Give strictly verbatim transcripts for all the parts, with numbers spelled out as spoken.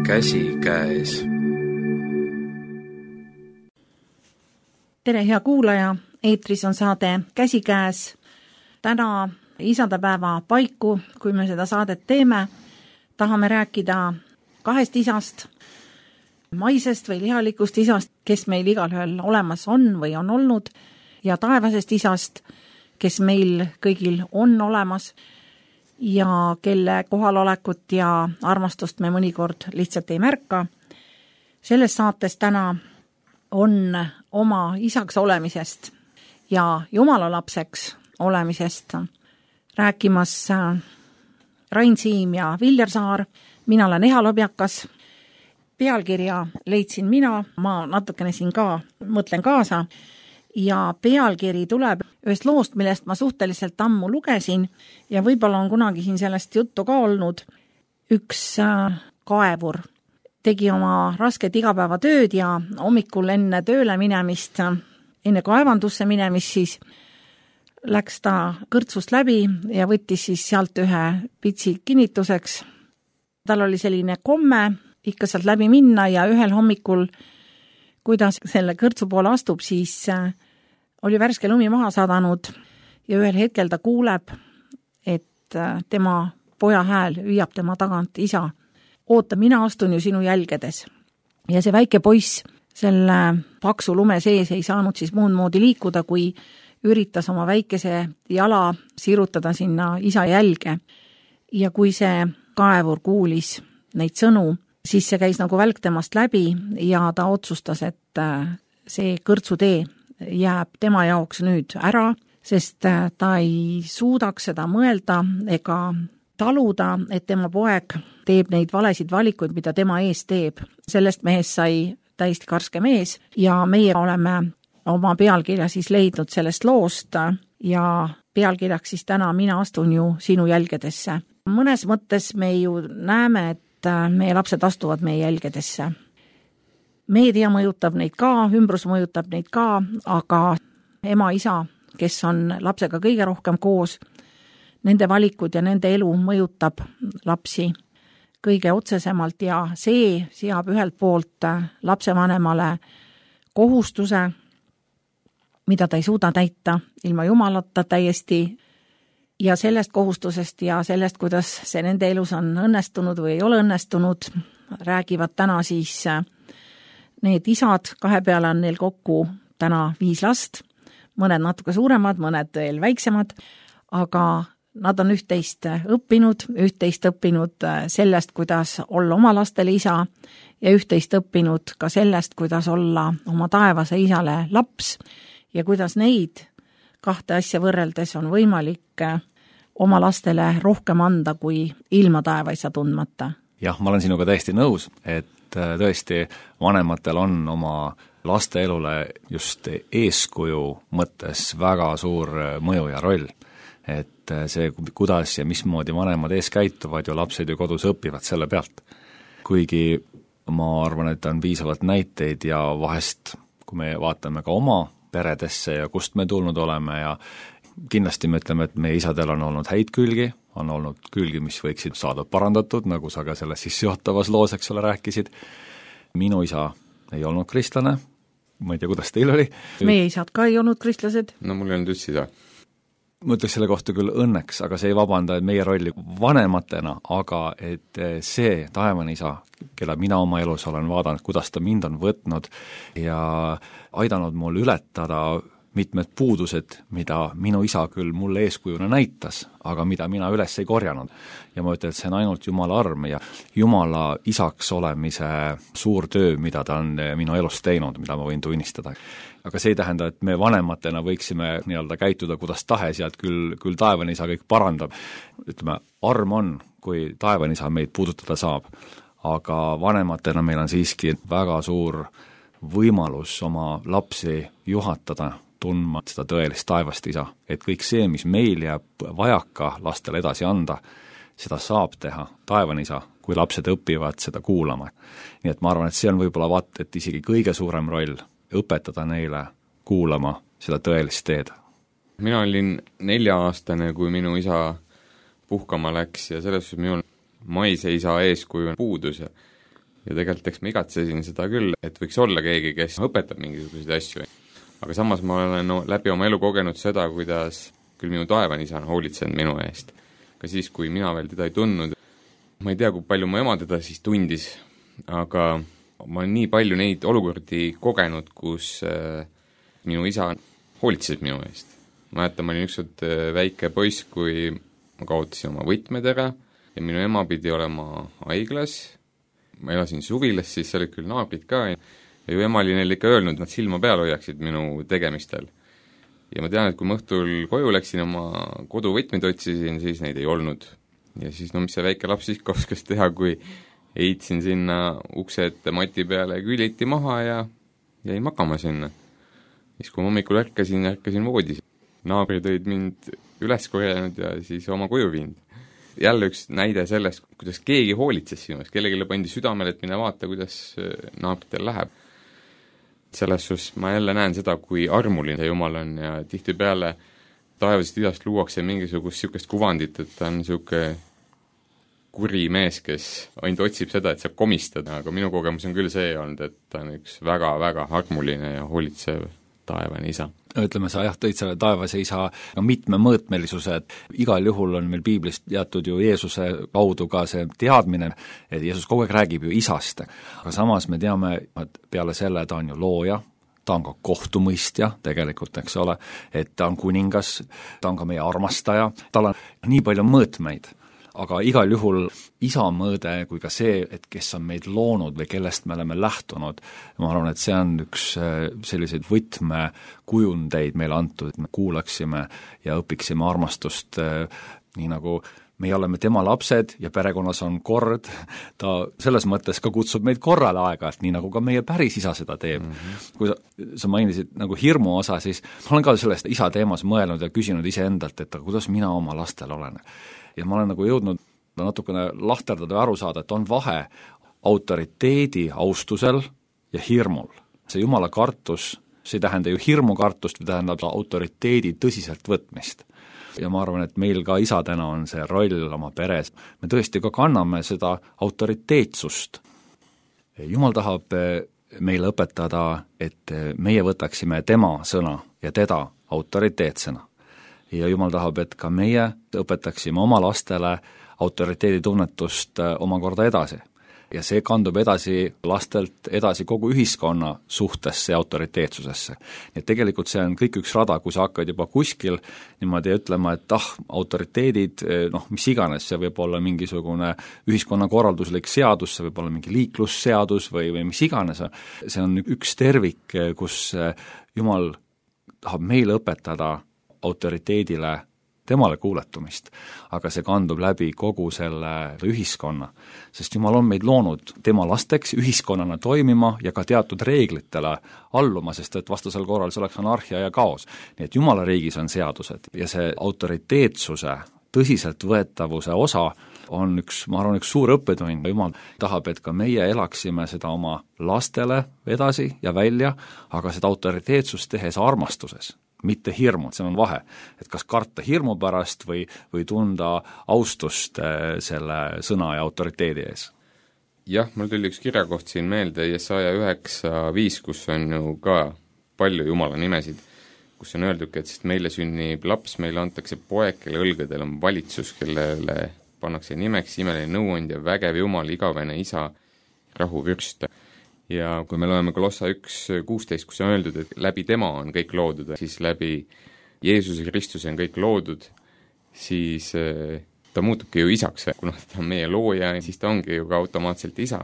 käsikäes. Tere, hea kuulaja! Eetris on saade Käsikäes. Täna isadepäeva paiku, kui me seda saadet teeme, tahame rääkida kahest isast, maisest või lihalikust isast, kes meil igalühel olemas on või on olnud, ja taevasest isast, kes meil kõigil on olemas ja kelle kohalolekut ja armastust me mõnikord lihtsalt ei märka. Selles saates täna on oma isaks olemisest ja Jumala lapseks olemisest rääkimas Rain Siim ja Viljar Saar. Mina olen Eha Lobjakas. Pealkirja leidsin mina, ma natukene siin ka mõtlen kaasa, ja pealkiri tuleb ühest loost, millest ma suhteliselt ammu lugesin ja võib-olla on kunagi siin sellest juttu ka olnud. Üks kaevur tegi oma rasket igapäevatööd ja hommikul enne tööle minemist, enne kaevandusse minemist siis läks ta kõrtsust läbi ja võttis siis sealt ühe pitsi kinnituseks. Tal oli selline komme ikka sealt läbi minna ja ühel hommikul, kuidas selle kõrtsu poole astub, siis oli värske lumi maha sadanud ja ühel hetkel ta kuuleb, et tema poja hääl hüüab tema tagant: isa, oota, mina astun ju sinu jälgedes. Ja see väike poiss selle paksu lume sees ei saanud siis muud moodi liikuda, kui üritas oma väikese jala sirutada sinna isa jälge. Ja kui see kaevur kuulis neid sõnu, siis see käis nagu välk temast läbi ja ta otsustas, et see kõrtsutee jääb tema jaoks nüüd ära, sest ta ei suudaks seda mõelda ega taluda, et tema poeg teeb neid valesid valikuid, mida tema ees teeb. Sellest mehest sai täiesti karske mees ja meie oleme oma pealkirja siis leidnud sellest loost ja pealkirjaks siis täna Mina astun ju sinu jälgedesse. Mõnes mõttes me ju näeme, et meie lapsed astuvad meie jälgedesse. Meedia mõjutab neid ka, ümbrus mõjutab neid ka, aga ema, isa, kes on lapsega kõige rohkem koos, nende valikud ja nende elu mõjutab lapsi kõige otsesemalt ja see seab ühelt poolt lapsevanemale kohustuse, mida ta ei suuda täita ilma Jumalata täiesti, ja sellest kohustusest ja sellest, kuidas see nende elus on õnnestunud või ei ole õnnestunud, räägivad täna siis need isad. Kahe peale on neil kokku täna viis last, mõned natuke suuremad, mõned veel väiksemad, aga nad on üht-teist õppinud, üht-teist õppinud sellest, kuidas olla oma lastele isa ja üht-teist õppinud ka sellest, kuidas olla oma taevase isale laps ja kuidas neid kahte asja võrreldes on võimalik oma lastele rohkem anda kui ilma taevaisa tundmata. Jah, ma olen sinuga täiesti nõus, et tõesti vanematel on oma laste elule just eeskuju mõttes väga suur mõju ja roll. Et see, kuidas ja mismoodi vanemad ees käituvad ja lapsed ju kodus õpivad selle pealt. Kuigi ma arvan, et on piisavalt näiteid ja vahest, kui me vaatame ka oma peredesse ja kust me tulnud oleme ja kindlasti me ütleme, et meie isadel on olnud häid külgi, on olnud külgi, mis võiksid saada parandatud, nagu sa ka selles sissejuhatavas loos, eks ole, rääkisid. Minu isa ei olnud kristlane, ma ei tea, kuidas teil oli. Meie isad ka ei olnud kristlased. No mul ei olnud üldse isa. Ma ütleks selle kohta küll õnneks, aga see ei vabanda meie rolli vanematena, aga et see taevane isa, kelle mina oma elus olen vaadanud, kuidas ta mind on võtnud ja aidanud mul ületada mitmed puudused, mida minu isa küll mulle eeskujuna näitas, aga mida mina üles ei korjanud. Ja ma ütlen, et see on ainult Jumala arm ja Jumala isaks olemise suur töö, mida ta on minu elus teinud, mida ma võin tunnistada. Aga see ei tähenda, et me vanematena võiksime nii-öelda käituda kuidas tahes ja et küll, küll taevane isa kõik parandab. Ütleme, arm on, kui taevane isa meid puudutada saab, aga vanematena meil on siiski väga suur võimalus oma lapsi juhatada, tundma seda tõelist taevast isa, et kõik see, mis meil jääb vajaka lastele edasi anda, seda saab teha taevane isa, kui lapsed õpivad seda kuulama. Nii et ma arvan, et see on võib-olla vaat, et isegi kõige suurem roll õpetada neile kuulama seda tõelist teed. Mina olin nelja-aastane, kui minu isa puhkama läks ja selles suhtes minul maise isa eeskuju puudus. ja tegelikult eks ma igatsesin seda küll, et võiks olla keegi, kes õpetab mingisuguseid asju. Aga samas ma olen no, läbi oma elu kogenud seda, kuidas küll minu taevane isa on hoolitsenud minu eest. Ka siis, kui mina veel teda ei tundnud. Ma ei tea, kui palju mu ema teda siis tundis, aga ma olen nii palju neid olukordi kogenud, kus äh, minu isa hoolitses minu eest. Ma mäletan, ma olin ükskord äh, väike poiss, kui ma kaotasin oma võtmed ära ja minu ema pidi olema haiglas. Ma elasin suvilas, siis olid küll naabrid ka ja ju ema oli neil ikka öelnud, nad silma peal hoiaksid minu tegemistel. Ja ma tean, et kui ma õhtul koju läksin, oma koduvõtmeid otsisin, siis neid ei olnud. Ja siis, no mis see väike laps ikka oskas teha, kui heitsin sinna ukse ette mati peale küliti maha ja jäin magama sinna. Siis kui hommikul ärkasin, ärkasin voodis. Naabrid olid mind üles korjanud ja siis oma koju viinud. Jälle üks näide sellest, kuidas keegi hoolitses sinust, kellegile pandi südamele, et mine vaata, kuidas naabritel läheb. Selles suhtes ma jälle näen seda, kui armuline Jumal on ja tihtipeale taevasest idast luuakse mingisugust niisugust kuvandit, et ta on niisugune kuri mees, kes ainult otsib seda, et saab komistada, aga minu kogemus on küll see olnud, et ta on üks väga-väga armuline ja hoolitsev taevane isa. Ütleme, sa jah, tõid selle taevase isa mitmemõõtmelisuse, et igal juhul on meil piiblist jätud ju Jeesuse kaudu ka see teadmine, et Jeesus kogu aeg räägib ju isast. Aga samas me teame, et peale selle ta on ju looja, ta on ka kohtumõistja tegelikult, eks ole, et ta on kuningas, ta on ka meie armastaja, tal on nii palju mõõtmeid. Aga igal juhul isa mõõde kui ka see, et kes on meid loonud või kellest me oleme lähtunud, ma arvan, et see on üks selliseid võtmekujundeid meile antud, et me kuulaksime ja õpiksime armastust, nii nagu meie oleme tema lapsed ja perekonnas on kord, ta selles mõttes ka kutsub meid korrale aega-, nii nagu ka meie päris isa seda teeb. Mm-hmm. Kui sa, sa mainisid nagu hirmu osa, siis ma olen ka sellest isa teemas mõelnud ja küsinud iseendalt, et kuidas mina oma lastel olen. Ja ma olen nagu jõudnud natukene lahterdada ja aru saada, et on vahe autoriteedi austusel ja hirmul. See Jumala kartus, see ei tähenda ju hirmukartust, või tähendab autoriteedi tõsiselt võtmist. Ja ma arvan, et meil ka isadena on see roll oma peres. Me tõesti ka kanname seda autoriteetsust. Jumal tahab meile õpetada, et meie võtaksime tema sõna ja teda autoriteetsena. Ja Jumal tahab, et ka meie õpetaksime oma lastele autoriteeditunnetust omakorda edasi. Ja see kandub edasi lastelt edasi kogu ühiskonna suhtesse ja autoriteetsusesse. Nii et tegelikult see on kõik üks rada, kui sa hakkad juba kuskil niimoodi ütlema, et ah, autoriteedid, noh, mis iganes, see võib olla mingisugune ühiskonnakorralduslik seadus, see võib olla mingi liiklusseadus või, või mis iganes. See on üks tervik, kus Jumal tahab meile õpetada autoriteedile temale kuuletumist, aga see kandub läbi kogu selle ühiskonna, sest Jumal on meid loonud tema lasteks ühiskonnana toimima ja ka teatud reeglitele alluma, sest et vastasel korral see oleks anarhia ja kaos. Nii et Jumala riigis on seadused ja see autoriteetsuse, tõsiseltvõetavuse osa on üks, ma arvan, üks suur õppetund. Jumal tahab, et ka meie elaksime seda oma lastele edasi ja välja, aga seda autoriteetsust tehes armastuses, mitte hirmu, see on vahe, et kas karta hirmu pärast või, või tunda austust selle sõna ja autoriteedi ees. Jah, mul tuli üks kirjakoht siin meelde, Jesaja üheksa viis, kus on ju ka palju Jumala nimesid, kus on öeldud, et sest meile sünnib laps, meile antakse poeg, kelle õlgadel on valitsus, kellele pannakse nimeks imeline nõuandja, vägev Jumal, igavene isa, rahuvürst. Ja kui me loeme Kolossa üks kuusteist, kus on öeldud, et läbi tema on kõik loodud, siis läbi Jeesuse Kristuse on kõik loodud, siis ta muutubki ju isaks, kuna ta on meie looja, siis ta ongi ju ka automaatselt isa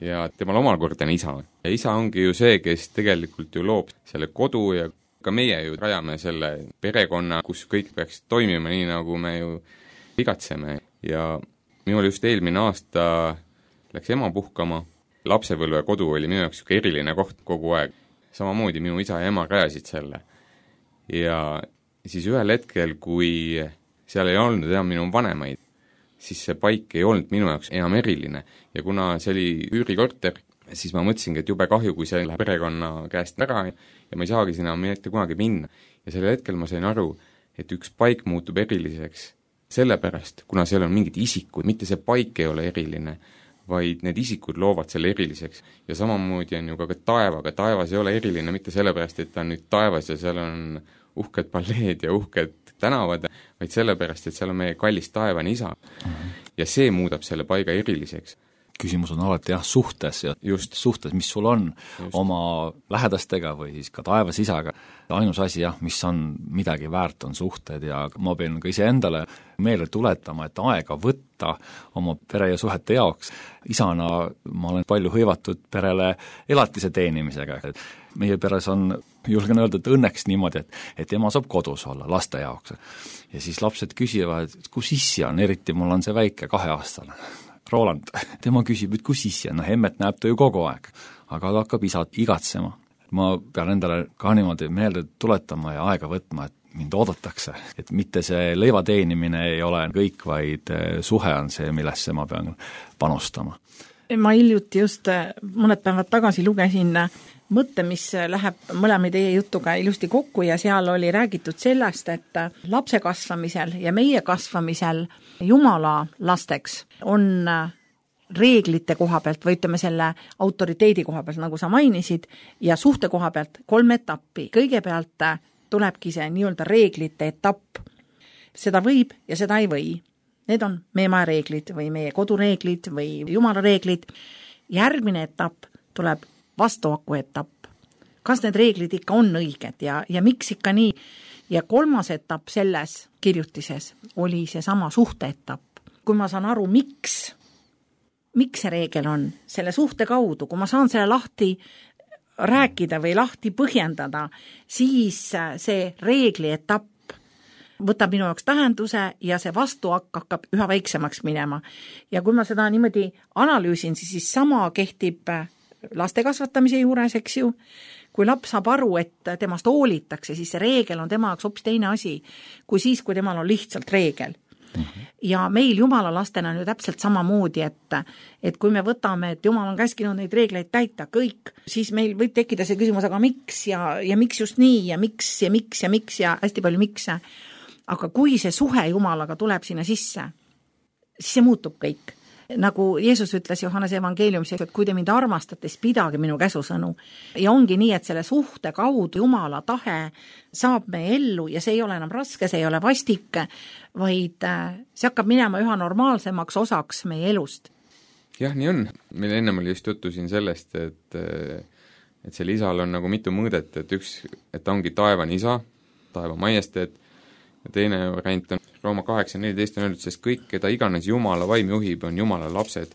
ja temal omakorda on isa. Ja isa ongi ju see, kes tegelikult ju loob selle kodu ja ka meie ju rajame selle perekonna, kus kõik peaks toimima nii, nagu me ju igatseme. Ja minul just eelmine aasta läks ema puhkama, lapsepõlve kodu oli minu jaoks eriline koht kogu aeg. Samamoodi minu isa ja ema rajasid selle. Ja siis ühel hetkel, kui seal ei olnud enam minu vanemaid, siis see paik ei olnud minu jaoks enam eriline. Ja kuna see oli üürikorter, siis ma mõtlesingi, et jube kahju, kui see läheb perekonna käest ära ja ma ei saagi sinna mitte kunagi minna. Ja sellel hetkel ma sain aru, et üks paik muutub eriliseks sellepärast, kuna seal on mingid isikud, mitte see paik ei ole eriline, vaid need isikud loovad selle eriliseks. Ja samamoodi on ju ka, ka taevaga, taevas ei ole eriline mitte sellepärast, et ta on nüüd taevas ja seal on uhked palleed ja uhked tänavad, vaid sellepärast, et seal on meie kallis taevane isa. Mm-hmm. Ja see muudab selle paiga eriliseks. Küsimus on alati jah, suhtes ja just suhtes, mis sul on just oma lähedastega või siis ka taevas isaga. Ainus asi jah, mis on midagi väärt, on suhted ja ma pean ka ise endale meelde tuletama, et aega võtta oma pere ja suhete jaoks. Isana ma olen palju hõivatud perele elatise teenimisega. Meie peres on, julgen öelda, et õnneks niimoodi, et, et ema saab kodus olla laste jaoks. Ja siis lapsed küsivad, et kus issi on, eriti mul on see väike kaheaastane. Roland, tema küsib, et kus issi on, no Hemmet näeb ta ju kogu aeg, aga ta hakkab isad igatsema. Ma pean endale ka niimoodi meelde tuletama ja aega võtma, et mind oodatakse, et mitte see leiva teenimine ei ole kõik, vaid suhe on see, millesse ma pean panustama. Ma hiljuti just mõned päevad tagasi lugesin mõtte, mis läheb mõlema teie jutuga ilusti kokku ja seal oli räägitud sellest, et lapse kasvamisel ja meie kasvamisel Jumala lasteks on reeglite koha pealt või ütleme selle autoriteedi koha pealt, nagu sa mainisid, ja suhte koha pealt kolm etappi. Kõigepealt tulebki see nii-öelda reeglite etapp. Seda võib ja seda ei või. Need on meie maja reeglid või meie kodureeglid või Jumala reeglid. Järgmine etapp tuleb vastuhaku etapp. Kas need reeglid ikka on õiged ja, ja miks ikka nii? Ja kolmas etapp selles kirjutises oli see sama suhte etapp. Kui ma saan aru, miks, miks see reegel on, selle suhte kaudu, kui ma saan selle lahti rääkida või lahti põhjendada, siis see reegli etapp võtab minu jaoks tähenduse ja see vastuhakk hakkab üha väiksemaks minema. Ja kui ma seda niimoodi analüüsin, siis, siis sama kehtib laste kasvatamise juures, eks ju. Kui laps saab aru, et temast hoolitakse, siis see reegel on tema jaoks hoopis teine asi, kui siis, kui temal on lihtsalt reegel. Mm-hmm. Ja meil Jumala lastena on ju täpselt samamoodi, et, et kui me võtame, et Jumal on käskinud neid reegleid täita kõik, siis meil võib tekkida see küsimus, aga miks ja, ja miks just nii ja miks ja miks ja miks ja hästi palju miks. Aga kui see suhe Jumalaga tuleb sinna sisse, siis see muutub kõik. Nagu Jeesus ütles Johannese evangeeliumis, et kui te mind armastate, siis pidage minu käsusõnu. Ja ongi nii, et selle suhte kaudu Jumala tahe saab me ellu ja see ei ole enam raske, see ei ole vastik, vaid see hakkab minema üha normaalsemaks osaks meie elust. Jah, nii on. Meil ennem oli just juttu siin sellest, et, et selle isal on nagu mitu mõõdet, et üks, et ta ongi taevan isa, taeva majesteet, ja teine variant on Rooma kaheksa neliteist on öeldud, sest kõik, keda iganes Jumala vaim juhib, on Jumala lapsed,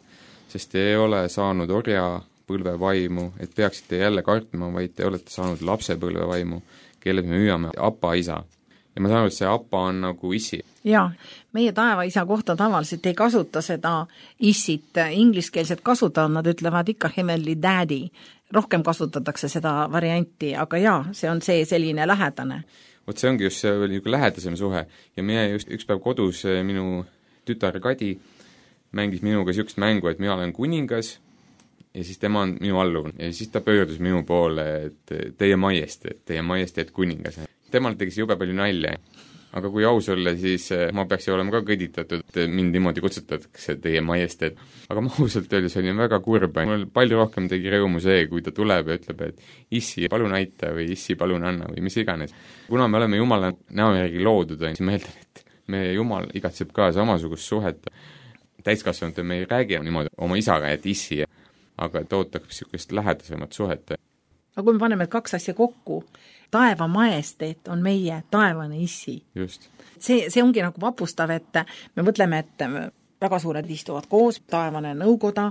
sest te ei ole saanud orja põlve vaimu, et peaksite jälle kartma, vaid te olete saanud lapse põlve vaimu, kelle me hüüame apa isa. Ja ma saan aru, et see apa on nagu issi. Jaa, meie taeva isa kohta tavaliselt ei kasuta seda issit, ingliskeelset kasutada, nad ütlevad ikka heavenly daddy, rohkem kasutatakse seda varianti, aga jaa, see on see selline lähedane. Vot see ongi just see oli lähedasem suhe ja meie just üks päev kodus minu tütar Kadi mängis minuga niisugust mängu, et mina olen kuningas ja siis tema on minu alluv ja siis ta pöördus minu poole, et teie majesteet, teie majesteet kuningas. Temal tegi jube palju nalja, aga kui aus olla, siis ma peaks ju olema ka kõditatud, et mind niimoodi kutsutatakse teie majesteet. Aga ma ausalt öeldes olin väga kurb, mul palju rohkem tegi rõõmu see, kui ta tuleb ja ütleb, et issi, palun aita või issi, palun anna või mis iganes. Kuna me oleme Jumala näo järgi loodud, siis meeldan, et me Jumal igatseb ka samasugust suhet. Täiskasvanud me ei räägi niimoodi oma isaga, et issi, aga et ootab niisugust lähedasemat suhet. Aga kui me paneme kaks asja kokku, taeva majesteet on meie taevane issi. Just. See, see ongi nagu vapustav, et me mõtleme, et väga suured istuvad koos, taevane nõukoda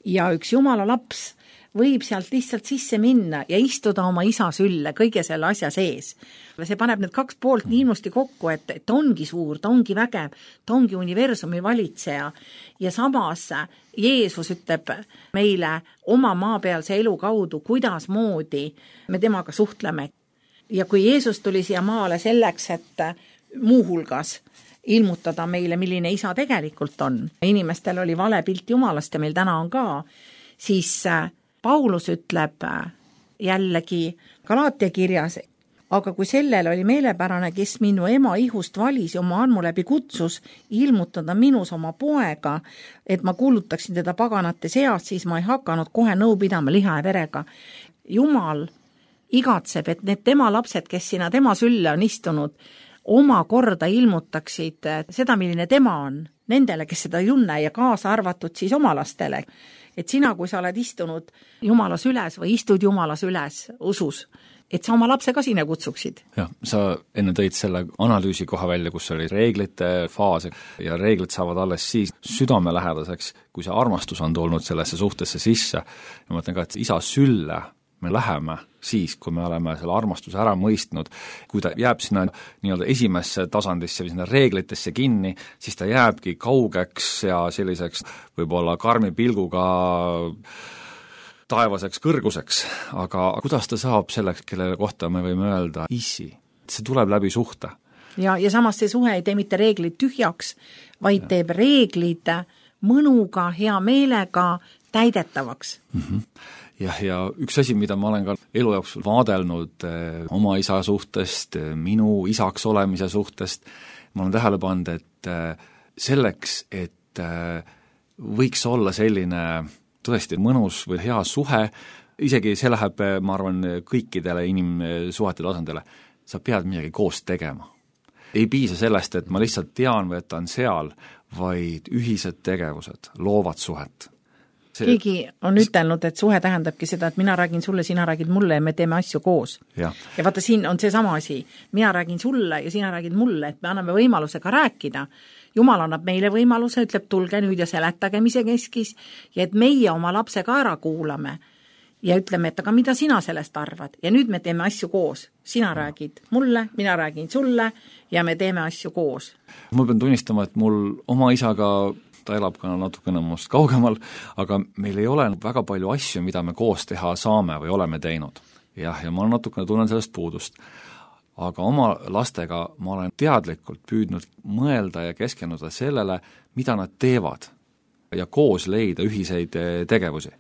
ja üks Jumala laps võib sealt lihtsalt sisse minna ja istuda oma isa sülle kõige selle asja sees. See paneb need kaks poolt nii ilusti kokku, et ta ongi suur, ta ongi vägev, ta ongi universumi valitseja ja samas Jeesus ütleb meile oma maapealse elu kaudu, kuidas moodi me temaga suhtleme. Ja kui Jeesus tuli siia maale selleks, et muuhulgas ilmutada meile, milline isa tegelikult on, inimestel oli vale pilt Jumalast ja meil täna on ka, siis Paulus ütleb jällegi Galaatia kirjas, aga kui sellel oli meelepärane, kes minu ema ihust valis ja oma armu läbi kutsus ilmutada minus oma poega, et ma kuulutaksin teda paganate seas, siis ma ei hakanud kohe nõu pidama liha ja verega. Jumal igatseb, et need tema lapsed, kes sinna tema sülle on istunud, oma korda ilmutaksid seda, milline tema on, nendele, kes seda ei tunne ja kaasa arvatud siis oma lastele. Et sina, kui sa oled istunud Jumalas üles või istud Jumalas üles usus, et sa oma lapse ka sinna kutsuksid. Jah, sa enne tõid selle analüüsi koha välja, kus oli reeglite faas ja reeglid saavad alles siis südamelähedaseks, kui see armastus on tulnud sellesse suhtesse sisse. Ja ma mõtlen ka, et isa sülle me läheme siis, kui me oleme selle armastuse ära mõistnud, kui ta jääb sinna nii-öelda esimesse tasandisse või sinna reeglitesse kinni, siis ta jääbki kaugeks ja selliseks võib-olla karmi pilguga taevaseks kõrguseks, aga kuidas ta saab selleks, kelle kohta me võime öelda issi? See tuleb läbi suhte. Ja, ja samas see suhe ei tee mitte reeglid tühjaks, vaid ja. Teeb reeglid mõnuga, hea meelega täidetavaks. Mm-hmm. Jah, ja üks asi, mida ma olen ka elu jooksul vaadelnud eh, oma isa suhtest, minu isaks olemise suhtest, ma olen tähele pannud, et eh, selleks, et eh, võiks olla selline tõesti mõnus või hea suhe, isegi see läheb, ma arvan, kõikidele inimsuhete tasandile, sa pead midagi koos tegema. Ei piisa sellest, et ma lihtsalt tean või et ta on seal, vaid ühised tegevused loovad suhet. See... Keegi on ütelnud, et suhe tähendabki seda, et mina räägin sulle, sina räägid mulle ja me teeme asju koos. Ja, ja vaata, siin on see sama asi. Mina räägin sulle ja sina räägid mulle, et me anname võimaluse ka rääkida. Jumal annab meile võimaluse, ütleb, tulge nüüd ja seletage, mis see keskis, ja et meie oma lapse ka ära kuulame ja ütleme, et aga mida sina sellest arvad? Ja nüüd me teeme asju koos. Sina räägid mulle, mina räägin sulle ja me teeme asju koos. Ma pean tunnistama, et mul oma isaga, ta elab ka natukene must kaugemal, aga meil ei ole väga palju asju, mida me koos teha saame või oleme teinud. Jah, ja ma natukene tunnen sellest puudust. Aga oma lastega ma olen teadlikult püüdnud mõelda ja keskenduda sellele, mida nad teevad ja koos leida ühiseid tegevusi.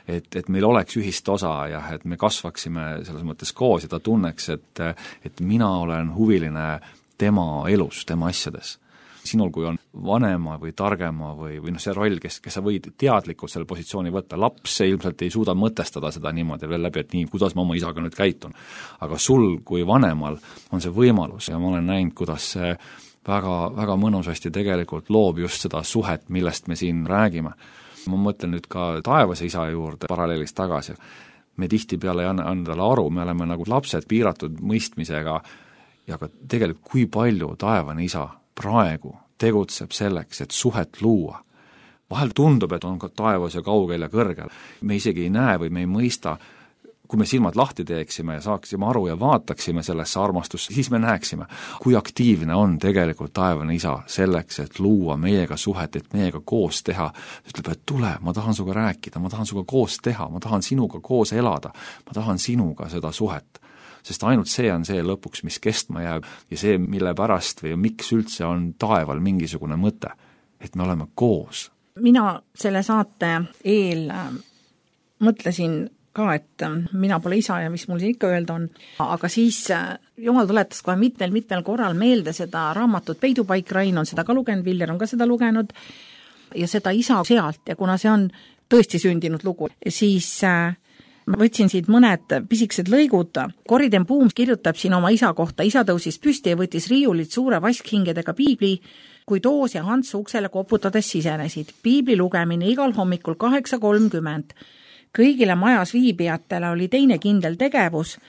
Et, et meil oleks ühist osa ja et me kasvaksime selles mõttes koos ja ta tunneks, et, et mina olen huviline tema elus, tema asjades. Sinul, kui on vanema või targema või, või no see roll, kes, kes sa võid teadlikult selle positsiooni võtta, laps ilmselt ei suuda mõtestada seda niimoodi veel läbi, et nii, kuidas ma oma isaga nüüd käitun. Aga sul kui vanemal on see võimalus ja ma olen näinud, kuidas see väga, väga mõnusasti tegelikult loob just seda suhet, millest me siin räägime. Ma mõtlen nüüd ka taevase isa juurde paralleelist tagasi. Me tihti peale ei anna endale aru, me oleme nagu lapsed piiratud mõistmisega ja ka tegelikult kui palju taevane isa praegu tegutseb selleks, et suhet luua. Vahel tundub, et on ka taevas ja kaugel ja kõrgel. Me isegi ei näe või me ei mõista, kui me silmad lahti teeksime ja saaksime aru ja vaataksime sellesse armastusse, siis me näeksime, kui aktiivne on tegelikult taevane isa selleks, et luua meiega suhet, et meiega koos teha. Ütleb, et tule, ma tahan sinuga rääkida, ma tahan sinuga koos teha, ma tahan sinuga koos elada, ma tahan sinuga seda suhet. Sest ainult see on see lõpuks, mis kestma jääb ja see, mille pärast või miks üldse on taeval mingisugune mõte, et me oleme koos. Mina selle saate eel mõtlesin ka, et mina pole isa ja mis mul siin ikka öelda on, aga siis Jumal tuletas kohe mitmel-mitmel korral meelde seda raamatut Peidupaik, Rain on seda ka lugenud, Viljar on ka seda lugenud ja seda isa sealt ja kuna see on tõesti sündinud lugu, siis ma võtsin siit mõned pisikesed lõigud. Koriden Puum kirjutab siin oma isa kohta. Isa tõusis püsti ja võttis riiulit suure vaskhingedega piibli, kui Toos ja Hans uksele koputades sisenesid. Piibli lugemine igal hommikul kaheksa kolmkümmend. Kõigile majas viibijatele oli teine kindel tegevus,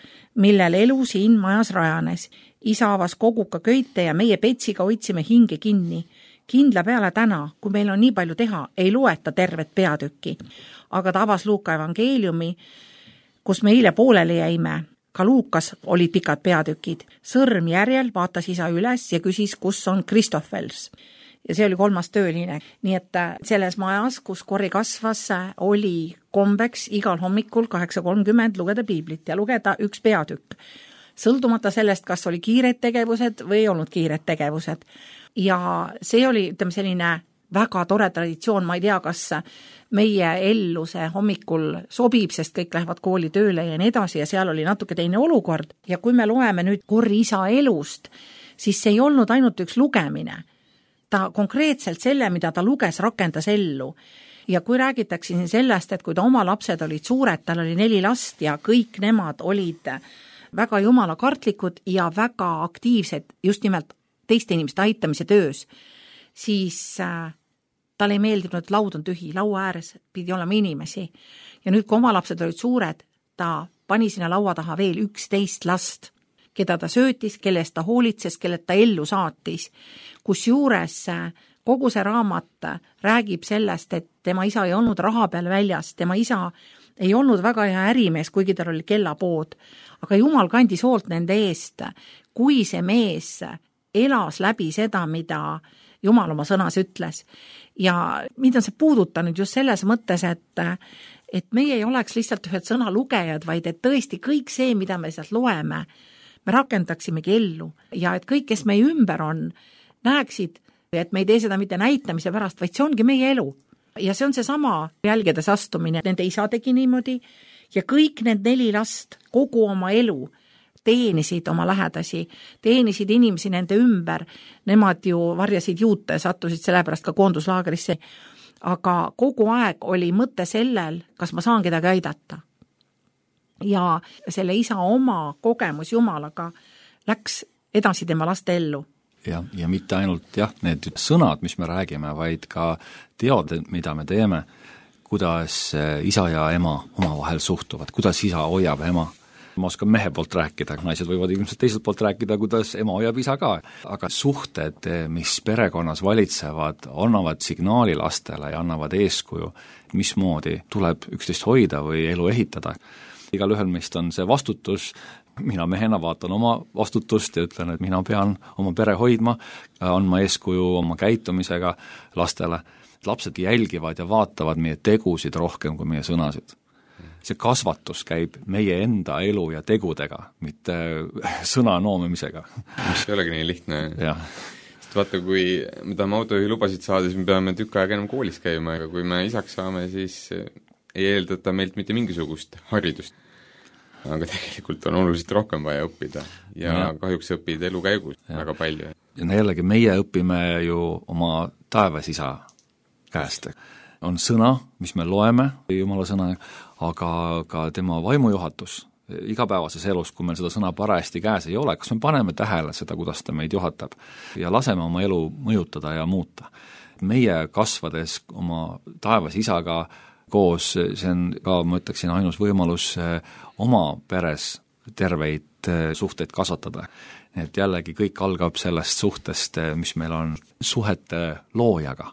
millel elu siin majas rajanes. Isa avas koguka köite ja meie Petsiga hoidsime hinge kinni. Kindla peale täna, kui meil on nii palju teha, ei loeta tervet peatükki. Aga ta avas Luuka evangeeliumi, kus me eile pooleli jäime. Ka Luukas olid pikad peatükid. Sõrm järjel vaatas isa üles ja küsis, kus on Kristoffels. Ja see oli kolmas tööline. Nii et selles majas, kus Kori kasvas, oli kombeks igal hommikul kaheksa kolmkümmend lugeda piiblit ja lugeda üks peatükk. Sõltumata sellest, kas oli kiired tegevused või ei olnud kiired tegevused. Ja see oli, ütleme, selline väga tore traditsioon, ma ei tea, kas meie ellu see hommikul sobib, sest kõik lähevad kooli tööle ja nii edasi ja seal oli natuke teine olukord. Ja kui me loeme nüüd Korri isa elust, siis see ei olnud ainult üks lugemine. Ta konkreetselt selle, mida ta luges, rakendas ellu. Ja kui räägitakse siin sellest, et kui ta oma lapsed olid suured, tal oli neli last ja kõik nemad olid väga jumala kartlikud ja väga aktiivsed just nimelt teiste inimeste aitamise töös, siis äh, tal ei meeldinud, et laud on tühi, laua ääres pidi olema inimesi. Ja nüüd, kui oma lapsed olid suured, ta pani sinna laua taha veel üksteist last, keda ta söötis, kelle eest ta hoolitses, kelle ta ellu saatis. Kus juures äh, kogu see raamat räägib sellest, et tema isa ei olnud raha peal väljas, tema isa ei olnud väga hea ärimees, kuigi tal oli kellapood, aga Jumal kandis hoolt nende eest, kui see mees elas läbi seda, mida Jumal oma sõnas ütles. Ja mida on see puudutanud just selles mõttes, et, et meie ei oleks lihtsalt ühed sõnalugejad, vaid et tõesti kõik see, mida me sealt loeme, me rakendaksimegi ellu ja et kõik, kes meie ümber on, näeksid, et me ei tee seda mitte näitamise pärast, vaid see ongi meie elu. Ja see on see sama jälgedes astumine, nende isa tegi niimoodi ja kõik need neli last kogu oma elu teenisid oma lähedasi, teenisid inimesi nende ümber, nemad ju varjasid juute, sattusid sellepärast ka koonduslaagrisse, aga kogu aeg oli mõte sellel, kas ma saan kedagi aidata. Ja selle isa oma kogemus Jumalaga läks edasi tema laste ellu. Ja, ja mitte ainult jah, need sõnad, mis me räägime, vaid ka teod, mida me teeme, kuidas isa ja ema omavahel suhtuvad, kuidas isa hoiab ema. Ma oskan mehe poolt rääkida, naised võivad ilmselt teiselt poolt rääkida, kuidas ema hoiab isa ka. Aga suhted, mis perekonnas valitsevad, annavad signaali lastele ja annavad eeskuju, mismoodi tuleb üksteist hoida või elu ehitada. Igal ühel meist on see vastutus. Mina mehena vaatan oma vastutust ja ütlen, et mina pean oma pere hoidma, andma eeskuju oma käitumisega lastele. Lapsed jälgivad ja vaatavad meie tegusid rohkem kui meie sõnasid. See kasvatus käib meie enda elu ja tegudega, mitte sõna noomimisega. Mis ei olegi nii lihtne. Jah. Sest vaata, kui me tahame autojuhi lubasid saada, siis me peame tükk aega enam koolis käima, aga kui me isaks saame, siis ei eeldata meilt mitte mingisugust haridust. Aga tegelikult on oluliselt rohkem vaja õppida ja, ja. kahjuks õpid elu käigus ja. väga palju. Ja jällegi meie õpime ju oma taevas isa käest. On sõna, mis me loeme, Jumala sõna, aga ka tema vaimujuhatus igapäevases elus, kui meil seda sõna parajasti käes ei ole, kas me paneme tähele seda, kuidas ta meid juhatab ja laseme oma elu mõjutada ja muuta. Meie kasvades oma taevas isaga koos, see on ka, ma ütleksin, ainus võimalus oma peres terveid suhteid kasvatada. Et jällegi kõik algab sellest suhtest, mis meil on suhete loojaga.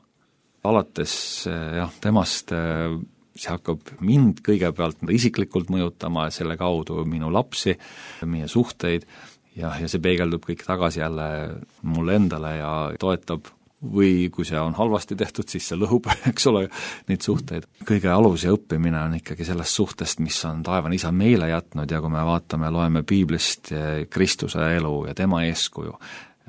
Alates jah, temast see hakkab mind kõigepealt isiklikult mõjutama, selle kaudu minu lapsi, meie suhteid ja, ja see peegeldub kõik tagasi jälle mulle endale ja toetab või kui see on halvasti tehtud, siis see lõhub, eks ole, neid suhteid. Kõige alus ja õppimine on ikkagi sellest suhtest, mis on taevane isa meile jätnud ja kui me vaatame, loeme piiblist Kristuse elu ja tema eeskuju,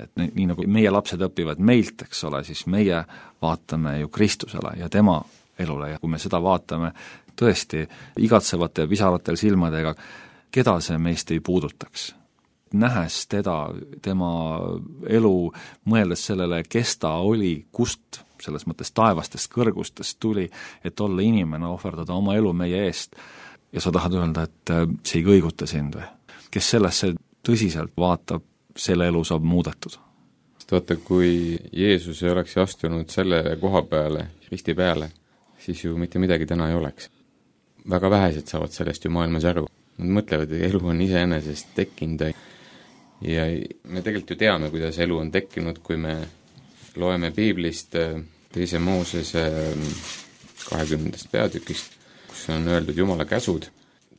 et nii, nii nagu meie lapsed õpivad meilt, eks ole, siis meie vaatame ju Kristusele ja tema elule ja kui me seda vaatame tõesti igatsevate pisaratel silmadega, keda see meist ei puudutaks. Nähes teda, tema elu, mõeldes sellele, kes ta oli, kust selles mõttes taevastest kõrgustest tuli, et olla inimene, ohverdada oma elu meie eest. Ja sa tahad öelda, et see ei kõiguta sind või? Kes sellesse tõsiselt vaatab, selle elu saab muudetud. Sest vaata, kui Jeesus ei oleks astunud selle koha peale, risti peale, siis ju mitte midagi täna ei oleks. Väga vähesed saavad sellest ju maailmas aru. Nad mõtlevad, et elu on iseenesest tekkinud ja me tegelikult ju teame, kuidas elu on tekkinud, kui me loeme piiblist teise Moosese kahekümnendast peatükist, kus on öeldud Jumala käsud.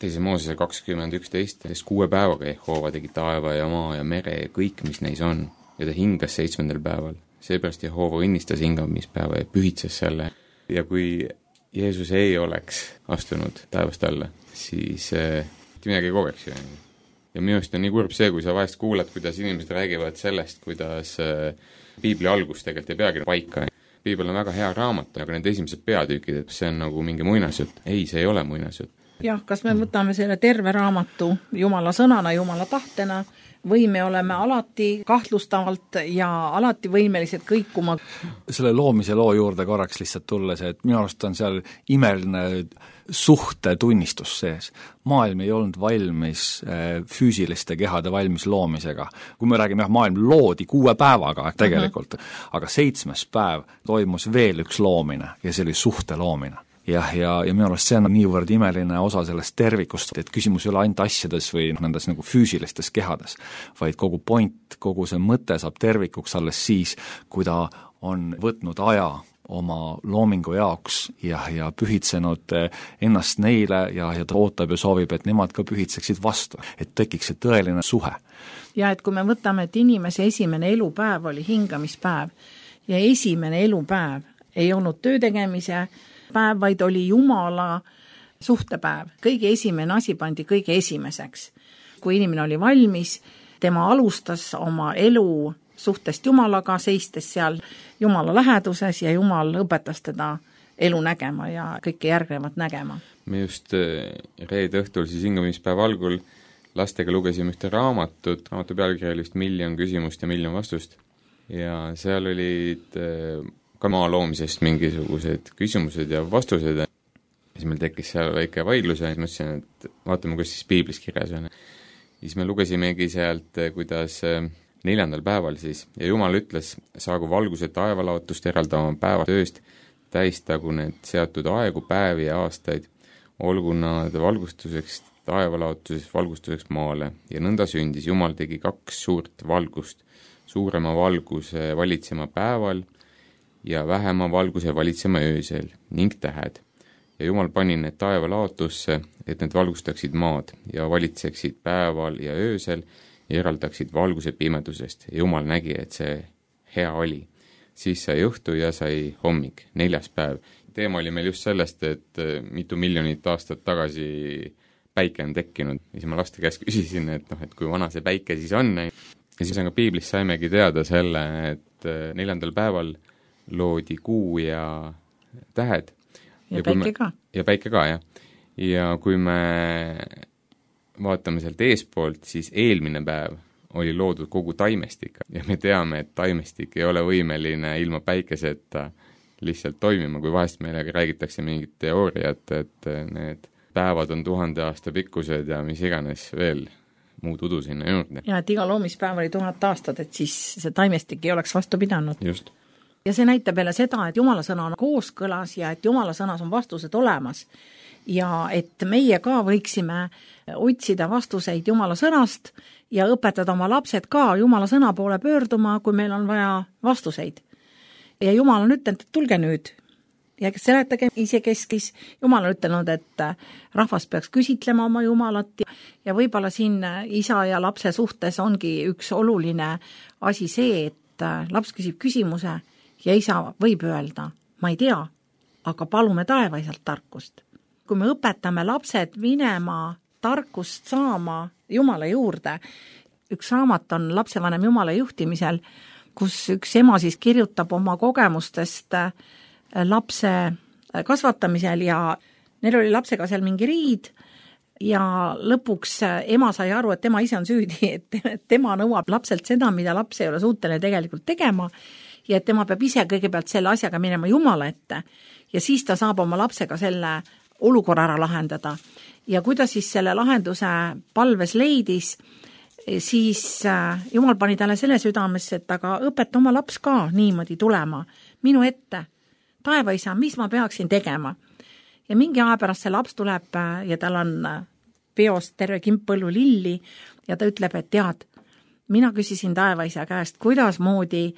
Teise Moosese kakskümmend üksteist, sest kuue päevaga Jehova tegi taeva ja maa ja mere ja kõik, mis neis on, ja ta hingas seitsmendal päeval. Seepärast Jehova õnnistas hingamispäeva ja pühitses selle. Ja kui Jeesus ei oleks astunud taevast alla, siis eh, midagi ei kogeks ju. Ja minu arust on nii kurb see, kui sa vahest kuulad, kuidas inimesed räägivad sellest, kuidas piibli algus tegelikult ei peagi paika. piibel on väga hea raamat, aga need esimesed peatükid, et see on nagu mingi muinasjutt. Ei, see ei ole muinasjutt. jah, kas me võtame selle terve raamatu Jumala sõnana, Jumala tahtena, või me oleme alati kahtlustavalt ja alati võimelised kõikuma. Selle loomise loo juurde korraks lihtsalt tulles, et minu arust on seal imeline suhte tunnistus sees. Maailm ei olnud valmis füüsiliste kehade valmis loomisega. Kui me räägime, jah, maailm loodi kuue päevaga tegelikult, uh-huh. aga seitsmes päev toimus veel üks loomine ja see oli suhte loomine. jah, ja, ja minu arust see on niivõrd imeline osa sellest tervikust, et küsimus ei ole ainult asjades või nendes nagu füüsilistes kehades, vaid kogu point, kogu see mõte saab tervikuks alles siis, kui ta on võtnud aja oma loomingu jaoks ja, ja pühitsenud ennast neile ja, ja ta ootab ja soovib, et nemad ka pühitseksid vastu, et tekiks see tõeline suhe. Ja et kui me võtame, et inimese esimene elupäev oli hingamispäev ja esimene elupäev ei olnud töötegemise päev, vaid oli Jumala suhtepäev. Kõige esimene asi pandi kõige esimeseks. Kui inimene oli valmis, tema alustas oma elu suhtest Jumalaga, seistes seal Jumala läheduses ja Jumal õpetas teda elu nägema ja kõike järgnevat nägema. Me just reede õhtul siis hingamispäeva algul lastega lugesime ühte raamatut, raamatu pealkiri oli vist miljon küsimust ja miljon vastust ja seal olid ka maa loomisest mingisugused küsimused ja vastused ja siis meil tekkis seal väike vaidlus ja mõtlesin, et vaatame, kus siis piiblis kirjas on. Siis me lugesimegi sealt, kuidas neljandal päeval siis ja Jumal ütles, saagu valguse taevalaotust eraldama päeva tööst, täistagu need seatud aegu, päevi ja aastaid, olgu nad valgustuseks taevalaotuseks, valgustuseks maale ja nõnda sündis. Jumal tegi kaks suurt valgust, suurema valguse valitsema päeval ja vähema valguse valitsema öösel ning tähed. Ja Jumal pani need taevalaotusse, et need valgustaksid maad ja valitseksid päeval ja öösel ja eraldaksid valguse pimedusest. Ja Jumal nägi, et see hea oli. Siis sai õhtu ja sai hommik, neljas päev. Teema oli meil just sellest, et mitu miljonit aastat tagasi päike on tekkinud. Ja siis ma laste käest küsisin, et, noh, et kui vana see päike siis on. Ja siis on ka piiblis saimegi teada selle, et neljandal päeval loodi kuu ja tähed. Ja, ja päike me, ka. Ja päike ka, jah. Ja kui me vaatame sealt eespoolt, siis eelmine päev oli loodud kogu taimestik ja me teame, et taimestik ei ole võimeline ilma päikeseta lihtsalt toimima, kui vahest meile räägitakse mingit teooriat, et need päevad on tuhande aasta pikkused ja mis iganes veel muud udu sinna juurde. Ja et iga loomispäev oli tuhat aastat, et siis see taimestik ei oleks vastu pidanud. Just. Ja see näitab jälle seda, et Jumala sõna on kooskõlas ja et Jumala sõnas on vastused olemas. Ja et meie ka võiksime otsida vastuseid Jumala sõnast ja õpetada oma lapsed ka Jumala sõna poole pöörduma, kui meil on vaja vastuseid. Ja Jumal on ütelnud, et tulge nüüd ja seletage isekeskis. Jumal on ütelnud, et rahvas peaks küsitlema oma Jumalat ja võib-olla siin isa ja lapse suhtes ongi üks oluline asi see, et laps küsib küsimuse ja isa võib öelda, ma ei tea, aga palume taevaisalt tarkust. Kui me õpetame lapsed minema tarkust saama Jumala juurde, üks raamat on lapsevanem Jumala juhtimisel, kus üks ema siis kirjutab oma kogemustest lapse kasvatamisel ja neil oli lapsega seal mingi riid ja lõpuks ema sai aru, et tema ise on süüdi, et tema nõuab lapselt seda, mida laps ei ole suuteline tegelikult tegema ja et tema peab ise kõigepealt selle asjaga minema Jumala ette ja siis ta saab oma lapsega selle olukorra ära lahendada. Ja kuidas siis selle lahenduse palves leidis, siis Jumal pani talle selle südamesse, et aga õpeta oma laps ka niimoodi tulema minu ette. Taevaisa, mis ma peaksin tegema? Ja mingi aja pärast see laps tuleb ja tal on peost terve kimpõllu lilli ja ta ütleb, et tead, mina küsisin taevaisa käest, kuidas moodi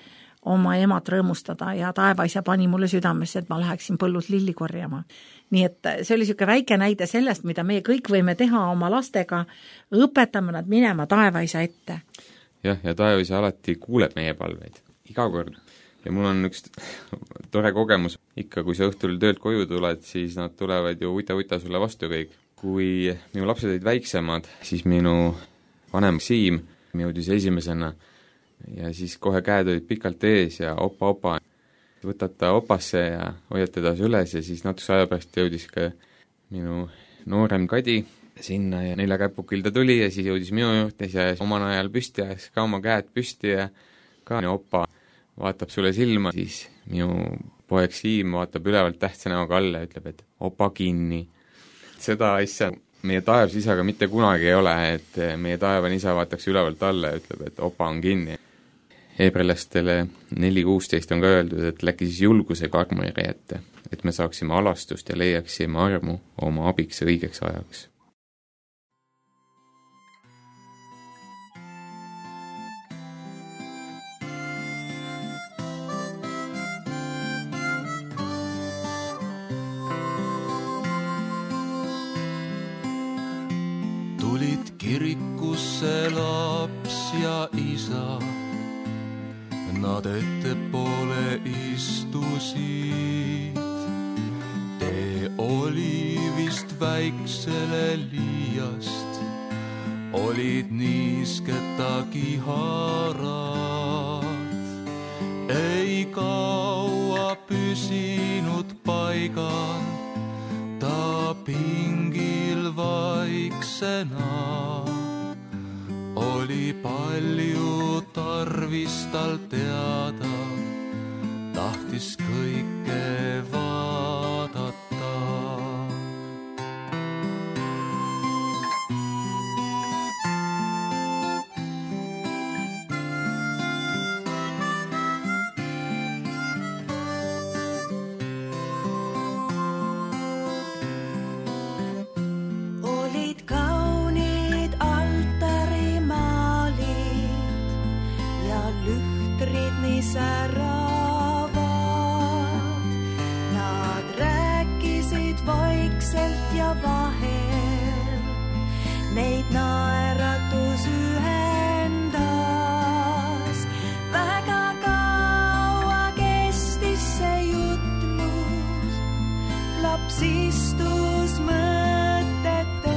oma emat rõõmustada ja taevaisa pani mulle südamesse, et ma läheksin põllus lilli korjama. Nii et see oli siuke väike näide sellest, mida me kõik võime teha oma lastega, õpetame nad minema taevaisa ette. Jah, ja taevaisa alati kuuleb meie palveid, iga kord. Ja mul on üks tore kogemus, ikka kui sa õhtul töölt koju tuled, siis nad tulevad ju uita-uita sulle vastu kõik. Kui minu lapsed olid väiksemad, siis minu vanem Siim jõudis esimesena ja siis kohe käed olid pikalt ees ja opa-opa. võtad ta opasse ja hoiad teda üles ja siis natukese aja pärast jõudis ka minu noorem Kadi sinna ja nelja käpukil ta tuli ja siis jõudis minu juurde ja omal ajal püsti ajas ka oma käed püsti ja ka opa vaatab sulle silma, siis minu poeg Siim vaatab ülevalt tähtsa näoga alla ja ütleb, et opa kinni. Seda asja meie taevas isaga mitte kunagi ei ole, et meie taevane isa vaataks ülevalt alla ja ütleb, et opa on kinni. Hebrelastele neli kuusteist on ka öeldud, et läki siis julgusega armuri ette, et me saaksime alastust ja leiaksime armu oma abiks õigeks ajaks. Tulid kirikusse laps ja isa, nad ettepoole istusid. Tee oli vist väiksele liiast, olid niisketagi harad. Ei kaua püsinud paigal, ta pingil vaiksena. Oli palju tarvis tal teada, tahtis kõike vaadata. Säravad. Nad rääkisid vaikselt ja vahel, neid naeratus ühendas. Väga kaua kestis see jutlus, laps istus mõtetes,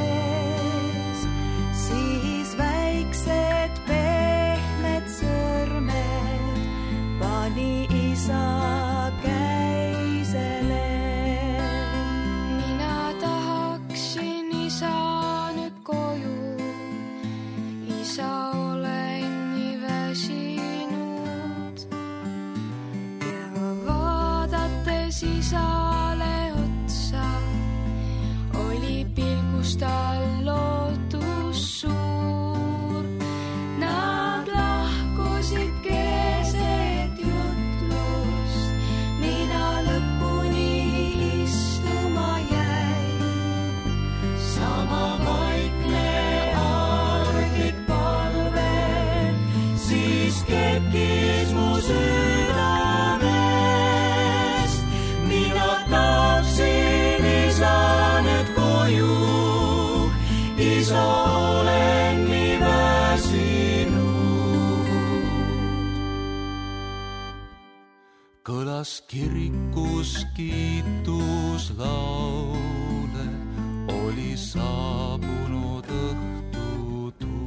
siis väiksed pehmed sõrmed pani isa käisele. Mina tahaksin isa nüüd koju, isa olen nii väsinud. Ja vaadates isale otsa, oli pilgus tal lootus suur. Nad lahkusid keset jutlust, mina lõpuni istuma jäin. Sama vaikne arglik palve, siis tekkis mu südamest. Mina tahtsin isa nüüd koju, isa olen nii väsinud. Kõlas kirikus kiituslaule, oli saabunud õhtutund.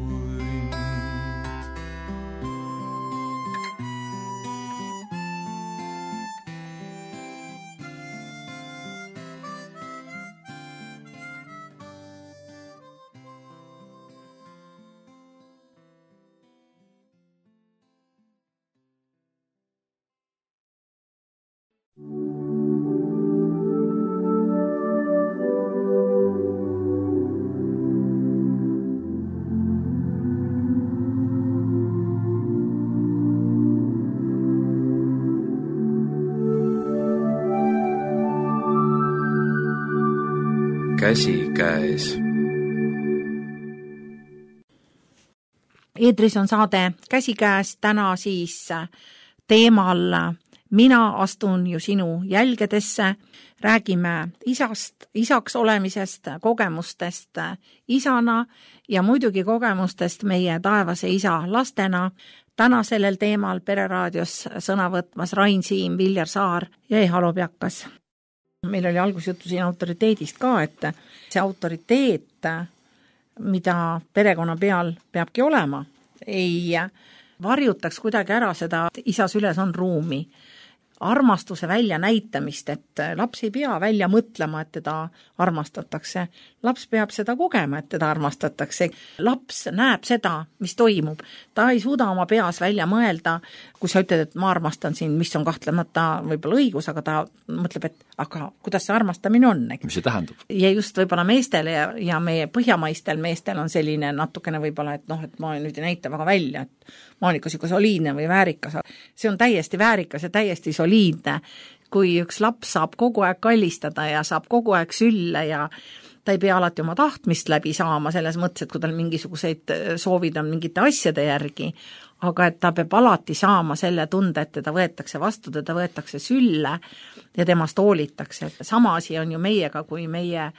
Käsi käes. Eetris on saade Käsi käes, täna siis teemal Mina astun ju sinu jälgedesse. Räägime isast, isaks olemisest, kogemustest isana ja muidugi kogemustest meie taevase isa lastena. Täna sellel teemal Pereraadios sõna võtmas Rain Siim, Viljar Saar ja Eha Lobjakas. Meil oli algus juttu siin autoriteedist ka, et see autoriteet, mida perekonna peal peabki olema, ei varjutaks kuidagi ära seda, et isa süles on ruumi. armastuse välja näitamist, et laps ei pea välja mõtlema, et teda armastatakse. Laps peab seda kogema, et teda armastatakse. Laps näeb seda, mis toimub. Ta ei suuda oma peas välja mõelda, kui sa ütled, et ma armastan sind, mis on kahtlemata võib-olla õigus, aga ta mõtleb, et aga kuidas see armastamine on? Mis see tähendab? Ja just võib-olla meestele ja, ja meie põhjamaistel meestel on selline natukene võib-olla, et noh, et ma nüüd ei näita väga välja, et Monika siuke soliidne või väärikas. See on täiesti väärikas ja täiesti soliidne, kui üks laps saab kogu aeg kallistada ja saab kogu aeg sülle ja ta ei pea alati oma tahtmist läbi saama selles mõttes, et kui tal mingisuguseid soovid on mingite asjade järgi, aga et ta peab alati saama selle tunde, et teda võetakse vastu, teda võetakse sülle ja temast hoolitakse. Sama asi on ju meiega, kui meie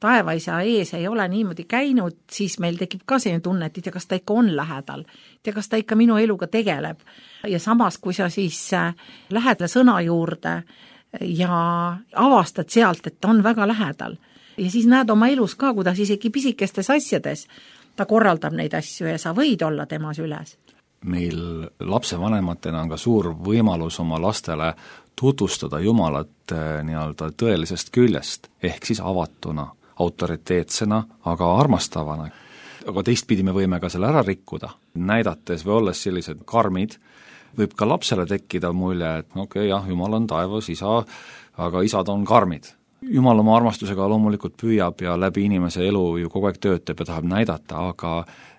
taevaisa ees ei ole niimoodi käinud, siis meil tekib ka selline tunne, et kas ta ikka on lähedal, ja kas ta ikka minu eluga tegeleb. Ja samas, kui sa siis lähed sõna juurde ja avastad sealt, et ta on väga lähedal, ja siis näed oma elus ka, kuidas isegi pisikestes asjades ta korraldab neid asju ja sa võid olla tema süles. Meil lapsevanematena on ka suur võimalus oma lastele tutvustada Jumalat nii-öelda tõelisest küljest, ehk siis avatuna, autoriteetsena, aga armastavana. Aga teistpidi me võime ka selle ära rikkuda, näidates või olles sellised karmid, võib ka lapsele tekkida mulje, et okei, okay, jah, Jumal on taevas, isa, aga isad on karmid. Jumal oma armastusega loomulikult püüab ja läbi inimese elu ju kogu aeg töötab ja tahab näidata, aga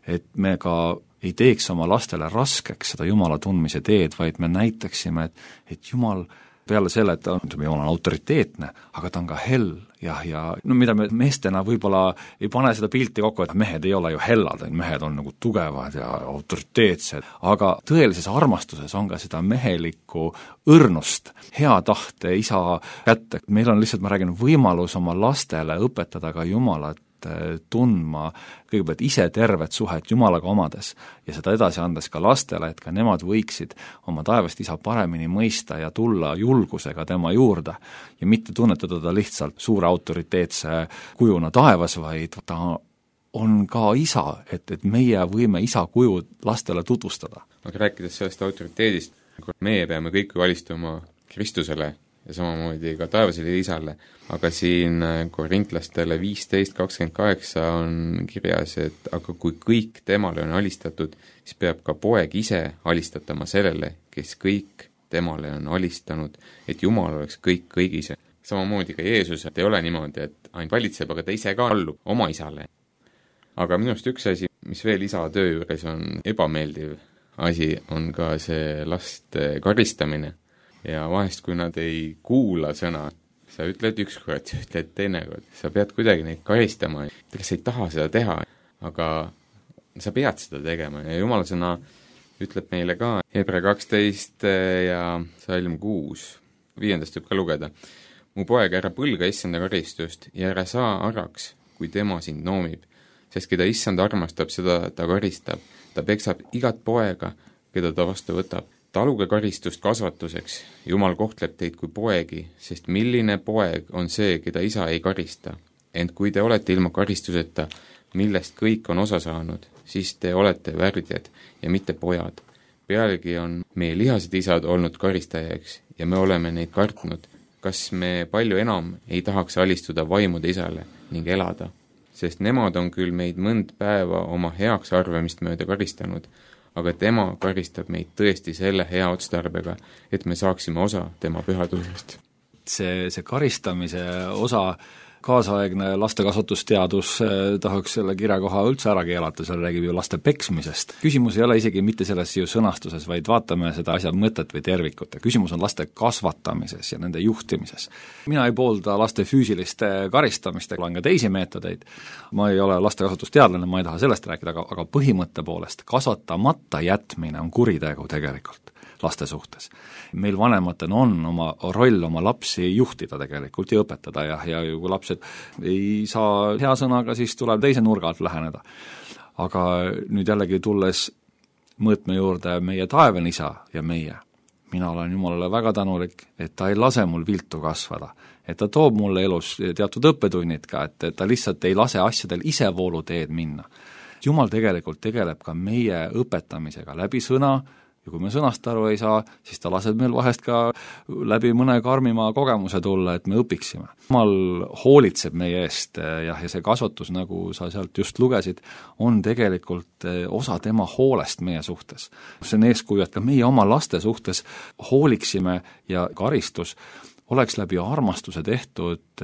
et me ka ei teeks oma lastele raskeks seda Jumala tundmise teed, vaid me näitaksime, et, et Jumal peale selle, et ta on, Jumal on autoriteetne, aga ta on ka hell ja, ja no mida me meestena võib-olla ei pane seda pilti kokku, et mehed ei ole ju hellad, mehed on nagu tugevad ja autoriteetsed, aga tõelises armastuses on ka seda mehelikku õrnust, hea tahte isa kätte. Meil on lihtsalt, ma räägin, võimalus oma lastele õpetada ka Jumalat tundma kõigepealt ise tervet suhet Jumalaga omades ja seda edasi andes ka lastele, et ka nemad võiksid oma taevast isa paremini mõista ja tulla julgusega tema juurde ja mitte tunnetada ta lihtsalt suure autoriteetse kujuna taevas, vaid ta on ka isa, et, et meie võime isa kuju lastele tutvustada. Aga rääkides sellest autoriteedist, meie peame kõik valistuma Kristusele ja samamoodi ka taevasele isale, aga siin korintlastele viisteist kakskümmend kaheksa on kirjas, et aga kui kõik temale on alistatud, siis peab ka poeg ise alistatama sellele, kes kõik temale on alistanud, et Jumal oleks kõik kõigis. Samamoodi ka Jeesus, et ei ole niimoodi, et ainult valitseb, aga ta ise ka allub oma isale. Aga minust üks asi, mis veel isa töö juures on ebameeldiv asi, on ka see laste karistamine. Ja vahest, kui nad ei kuula sõna, sa ütled üks kord, sa ütled teine kord, sa pead kuidagi neid karistama, kes ei taha seda teha, aga sa pead seda tegema ja Jumala sõna ütleb meile ka Hebra kaksteist ja salm kuus, viiendast võib ka lugeda. Mu poeg, ära põlga issanda karistust ja ära saa araks, kui tema sind noomib, sest keda issand armastab, seda ta karistab. Ta peksab igat poega, keda ta vastu võtab. Taluge karistust kasvatuseks, Jumal kohtleb teid kui poegi, sest milline poeg on see, keda isa ei karista. Ent kui te olete ilma karistuseta, millest kõik on osa saanud, siis te olete värdjad ja mitte pojad. Pealegi on meie lihased isad olnud karistajaks ja me oleme neid kartnud. Kas me palju enam ei tahaks alistuda vaimude isale ning elada? Sest nemad on küll meid mõnd päeva oma heaks arvamist mööda karistanud, aga tema karistab meid tõesti selle hea otstarbega, et me saaksime osa tema pühadusest. See, see karistamise osa, kaasaegne lastekasvatusteadus tahaks selle kirjakoha üldse ära keelata, seal räägib ju laste peksmisest. Küsimus ei ole isegi mitte selles ju sõnastuses, vaid vaatame seda asja mõtet või tervikut. Küsimus on laste kasvatamises ja nende juhtimises. Mina ei poolda laste füüsiliste karistamist, olen ka teisi meetodeid. Ma ei ole lastekasvatusteadlane, ma ei taha sellest rääkida, aga, aga põhimõtte poolest kasvatamata jätmine on kuritegu tegelikult laste suhtes. Meil vanematena on oma roll oma lapsi juhtida tegelikult ja õpetada ja, ja kui lapsed ei saa hea sõnaga, siis tuleb teise nurga alt läheneda. Aga nüüd jällegi tulles mõõtme juurde meie taevane isa ja meie, mina olen Jumalale väga tänulik, et ta ei lase mul viltu kasvada, et ta toob mulle elus teatud õppetunnid ka, et, et ta lihtsalt ei lase asjadel isevoolu teed minna. Jumal tegelikult tegeleb ka meie õpetamisega läbi sõna, ja kui me sõnast aru ei saa, siis ta laseb meil vahest ka läbi mõne karmima kogemuse tulla, et me õpiksime. Jumal hoolitseb meie eest jah, ja see kasvatus, nagu sa sealt just lugesid, on tegelikult osa tema hoolest meie suhtes. See on eeskuju, et ka meie oma laste suhtes hooliksime ja karistus oleks läbi armastuse tehtud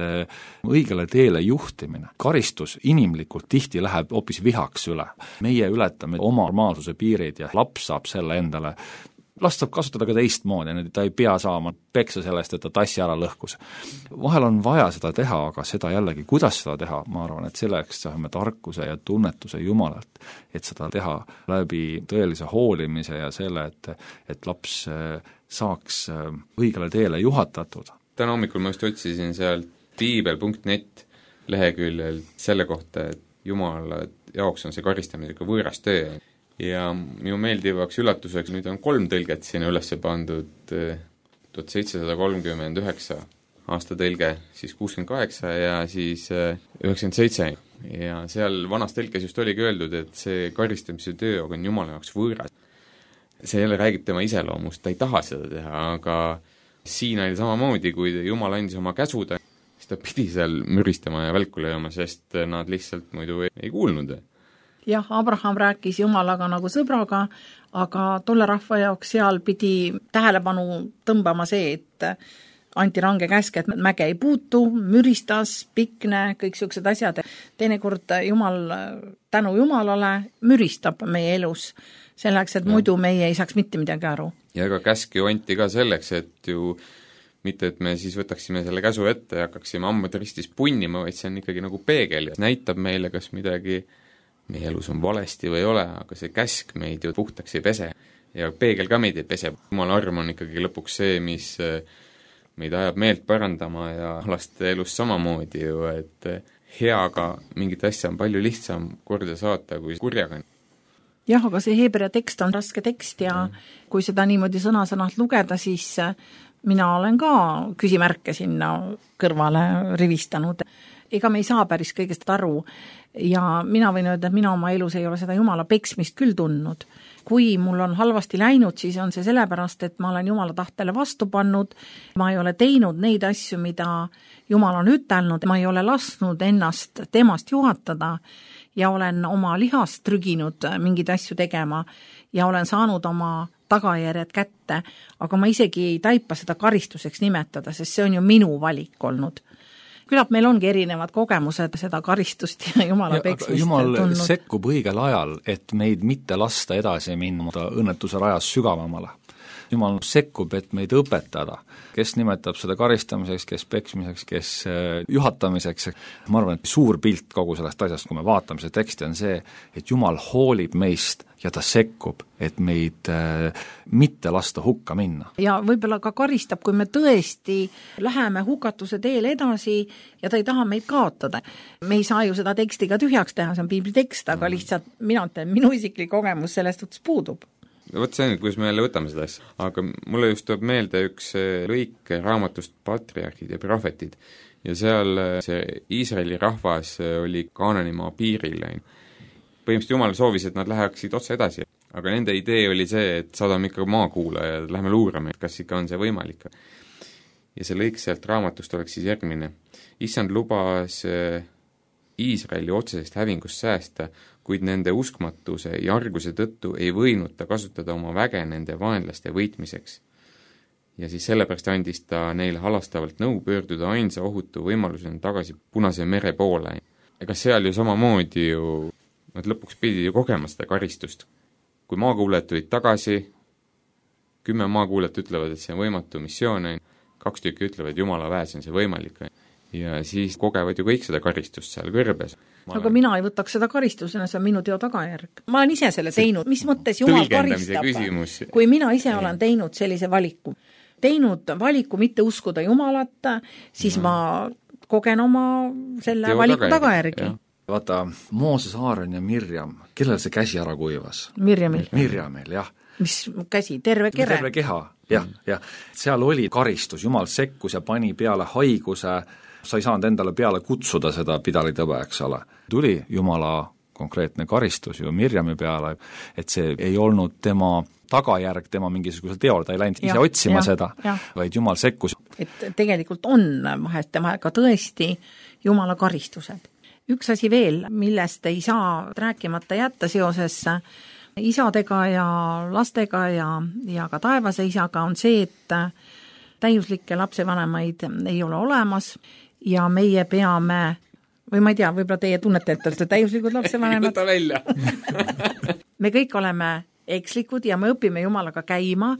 õigele teele juhtimine. Karistus inimlikult tihti läheb hoopis vihaks üle. Meie ületame oma normaalsuse piirid ja laps saab selle endale. Last saab kasutada ka teistmoodi, ta ei pea saama peksa sellest, et ta tassi ära lõhkus. Vahel on vaja seda teha, aga seda jällegi, kuidas seda teha, ma arvan, et selleks saame tarkuse ja tunnetuse Jumalalt, et seda teha läbi tõelise hoolimise ja selle, et, et laps saaks õigele teele juhatatud. Täna hommikul ma just otsisin sealt piibel punkt net leheküljel selle kohta, et Jumala jaoks on see karistamine ikka võõras töö. Ja minu meeldivaks üllatuseks nüüd on kolm tõlget sinna üles pandud, tuhat seitsesada kolmkümmend üheksa aasta tõlge, siis kuuskümmend kaheksa ja siis üheksakümmend seitse. Ja seal vanas tõlkes just oligi öeldud, et see karistamise töö on Jumala jaoks võõras. See jälle räägib tema iseloomust, ta ei taha seda teha, aga siin oli samamoodi, kui Jumal andis oma käsuda, siis ta pidi seal müristama ja välku lööma, sest nad lihtsalt muidu ei, ei kuulnud. Jah, Abraham rääkis Jumalaga nagu sõbraga, aga tolle rahva jaoks seal pidi tähelepanu tõmbama see, et anti range käsk, et mäge ei puutu, müristas, pikne, kõik sellised asjad. Teinekord Jumal, tänu Jumalale, müristab meie elus selleks, et ja. Muidu meie ei saaks mitte midagi aru. Ja ega käsk ju anti ka selleks, et ju mitte, et me siis võtaksime selle käsu ette ja hakkaksime ammad ristis punnima, vaid see on ikkagi nagu peegel ja näitab meile, kas midagi meie elus on valesti või ei ole, aga see käsk meid ju puhtaks ei pese ja peegel ka meid ei pese. Jumala arm on ikkagi lõpuks see, mis meid ajab meelt parandama ja laste elus samamoodi ju, et heaga mingit asja on palju lihtsam korda saata kui kurjaga. Jah, aga see Heebrea tekst on raske tekst ja mm. kui seda niimoodi sõna-sõnalt lugeda, siis mina olen ka küsimärke sinna kõrvale rivistanud. Ega me ei saa päris kõigest aru ja mina võin öelda, et mina oma elus ei ole seda Jumala peksmist küll tundnud. Kui mul on halvasti läinud, siis on see sellepärast, et ma olen Jumala tahtele vastu pannud, ma ei ole teinud neid asju, mida Jumal on ütelnud, ma ei ole lasknud ennast temast juhatada ja olen oma lihast trüginud mingeid asju tegema ja olen saanud oma tagajärjed kätte, aga ma isegi ei taipa seda karistuseks nimetada, sest see on ju minu valik olnud. Küllap meil ongi erinevad kogemused seda karistust ja Jumala ja, peksmist Jumal tundnud. Sekkub õigel ajal, et meid mitte lasta edasi minna õnnetuse rajas sügavamale. Jumal sekkub, et meid õpetada, kes nimetab seda karistamiseks, kes peksmiseks, kes juhatamiseks. Ma arvan, et suur pilt kogu sellest asjast, kui me vaatame see teksti, on see, et Jumal hoolib meist ja ta sekkub, et meid äh, mitte lasta hukka minna. Ja võib-olla ka karistab, kui me tõesti läheme hukatuse teel edasi ja ta ei taha meid kaotada. Me ei saa ju seda teksti ka tühjaks teha, see on piibli tekst, aga lihtsalt mina ütlen, minu isiklik kogemus sellest võttes puudub. Võt see on, kuidas me jälle võtame seda asja, aga mulle just tuleb meelde üks lõik raamatust Patriarhid ja prohvetid ja seal see Iisraeli rahvas oli Kaananimaa piiril. Põhimõtteliselt Jumal soovis, et nad läheksid otse edasi, aga nende idee oli see, et saadame ikka maakuula ja lähme luurame, kas ikka on see võimalik. Ja see lõik sealt raamatust oleks siis järgmine. Issand lubas Iisraeli otsesest hävingust säästa, kuid nende uskmatuse ja arguse tõttu ei võinud ta kasutada oma väge nende vaenlaste võitmiseks. Ja siis sellepärast andis ta neile halastavalt nõu pöörduda ainsa ohutu võimalusena tagasi Punase mere poole. Ega seal ju samamoodi ju, nad lõpuks pidi ju kogema seda karistust. Kui maakuulajad tulid tagasi, kümme maakuulajat ütlevad, et see on võimatu missioon, kaks tükki ütlevad, et Jumala väes on see võimalik. Ja siis kogevad ju kõik seda karistust seal kõrbes. Ma aga olen... mina ei võtaks seda karistusena, see on minu teo tagajärg. Ma olen ise selle teinud, mis mõttes Jumal karistab, kui mina ise olen teinud sellise valiku. Teinud valiku mitte uskuda Jumalat, siis no. ma kogen oma selle teo valiku tagajärgi. Vaata, Mooses, Aaron ja Mirjam, kellel see käsi ära kuivas? Mirjamil. Mirjamil, jah. Mis käsi? Terve kere? Terve keha, jah, jah. Seal oli karistus, Jumal sekkus ja pani peale haiguse, sa ei saanud endale peale kutsuda seda pidalitõbe, eks ole. Tuli Jumala konkreetne karistus ju Mirjami peale, et see ei olnud tema tagajärg tema mingisugusel teol, ta ei läinud ise ja, otsima ja, seda, vaid Jumal sekkus. Et tegelikult on vahest tema ka tõesti Jumala karistused. Üks asi veel, millest ei saa rääkimata jätta seoses isadega ja lastega ja, ja ka taevase isaga, on see, et täiuslikke lapsevanemaid ei ole olemas ja meie peame, või ma ei tea, võib-olla teie tunnete, et olete täiuslikud lapsevanemad. Võta välja. Me kõik oleme ekslikud ja me õpime Jumalaga käima.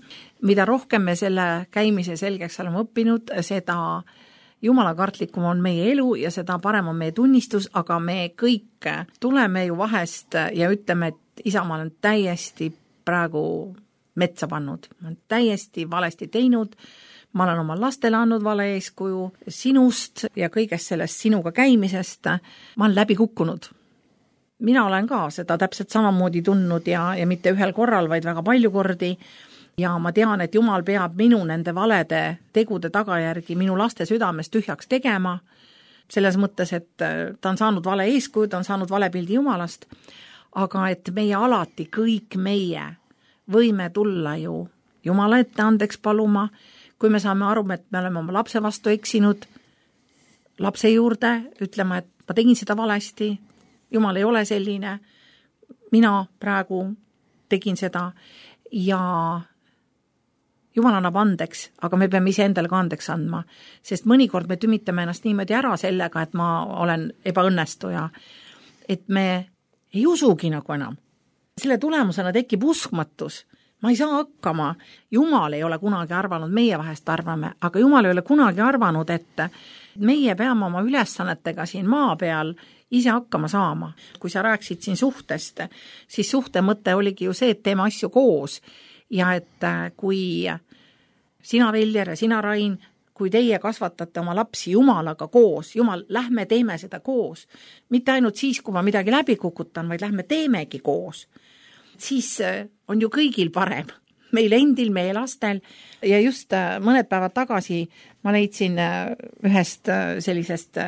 Mida rohkem me selle käimise selgeks oleme õppinud, seda Jumala kartlikum on meie elu ja seda parem on meie tunnistus, aga me kõik tuleme ju vahest ja ütleme, et isa, ma olen täiesti praegu metsa pannud. Ma olen täiesti valesti teinud. Ma olen oma lastele andnud vale eeskuju sinust ja kõigest sellest sinuga käimisest. Ma olen läbi kukkunud. Mina olen ka seda täpselt samamoodi tundnud ja, ja mitte ühel korral, vaid väga palju kordi. Ja ma tean, et Jumal peab minu nende valede tegude tagajärgi minu laste südames tühjaks tegema. Selles mõttes, et ta on saanud vale eeskuju, ta on saanud vale pildi Jumalast. Aga et meie alati, kõik meie võime tulla ju Jumala ette andeks paluma, kui me saame aru, et me oleme oma lapse vastu eksinud, lapse juurde ütlema, et ma tegin seda valesti, Jumal ei ole selline, mina praegu tegin seda ja Jumal annab andeks, aga me peame ise endale ka andeks andma, sest mõnikord me tümitame ennast niimoodi ära sellega, et ma olen ebaõnnestuja, et me ei usugi nagu enam. Selle tulemusena tekib uskmatus. Ma ei saa hakkama. Jumal ei ole kunagi arvanud, meie vahest arvame, aga Jumal ei ole kunagi arvanud, et meie peame oma ülesannetega siin maa peal ise hakkama saama. Kui sa rääksid siin suhtest, siis suhte mõte oligi ju see, et teeme asju koos ja et kui sina, Veljer, ja sina, Rain, kui teie kasvatate oma lapsi Jumalaga koos, Jumal, lähme teeme seda koos. Mitte ainult siis, kui ma midagi läbi kukutan, vaid lähme teemegi koos. Siis on ju kõigil parem, meil endil, meie lastel ja just mõned päevad tagasi ma leidsin ühest sellisest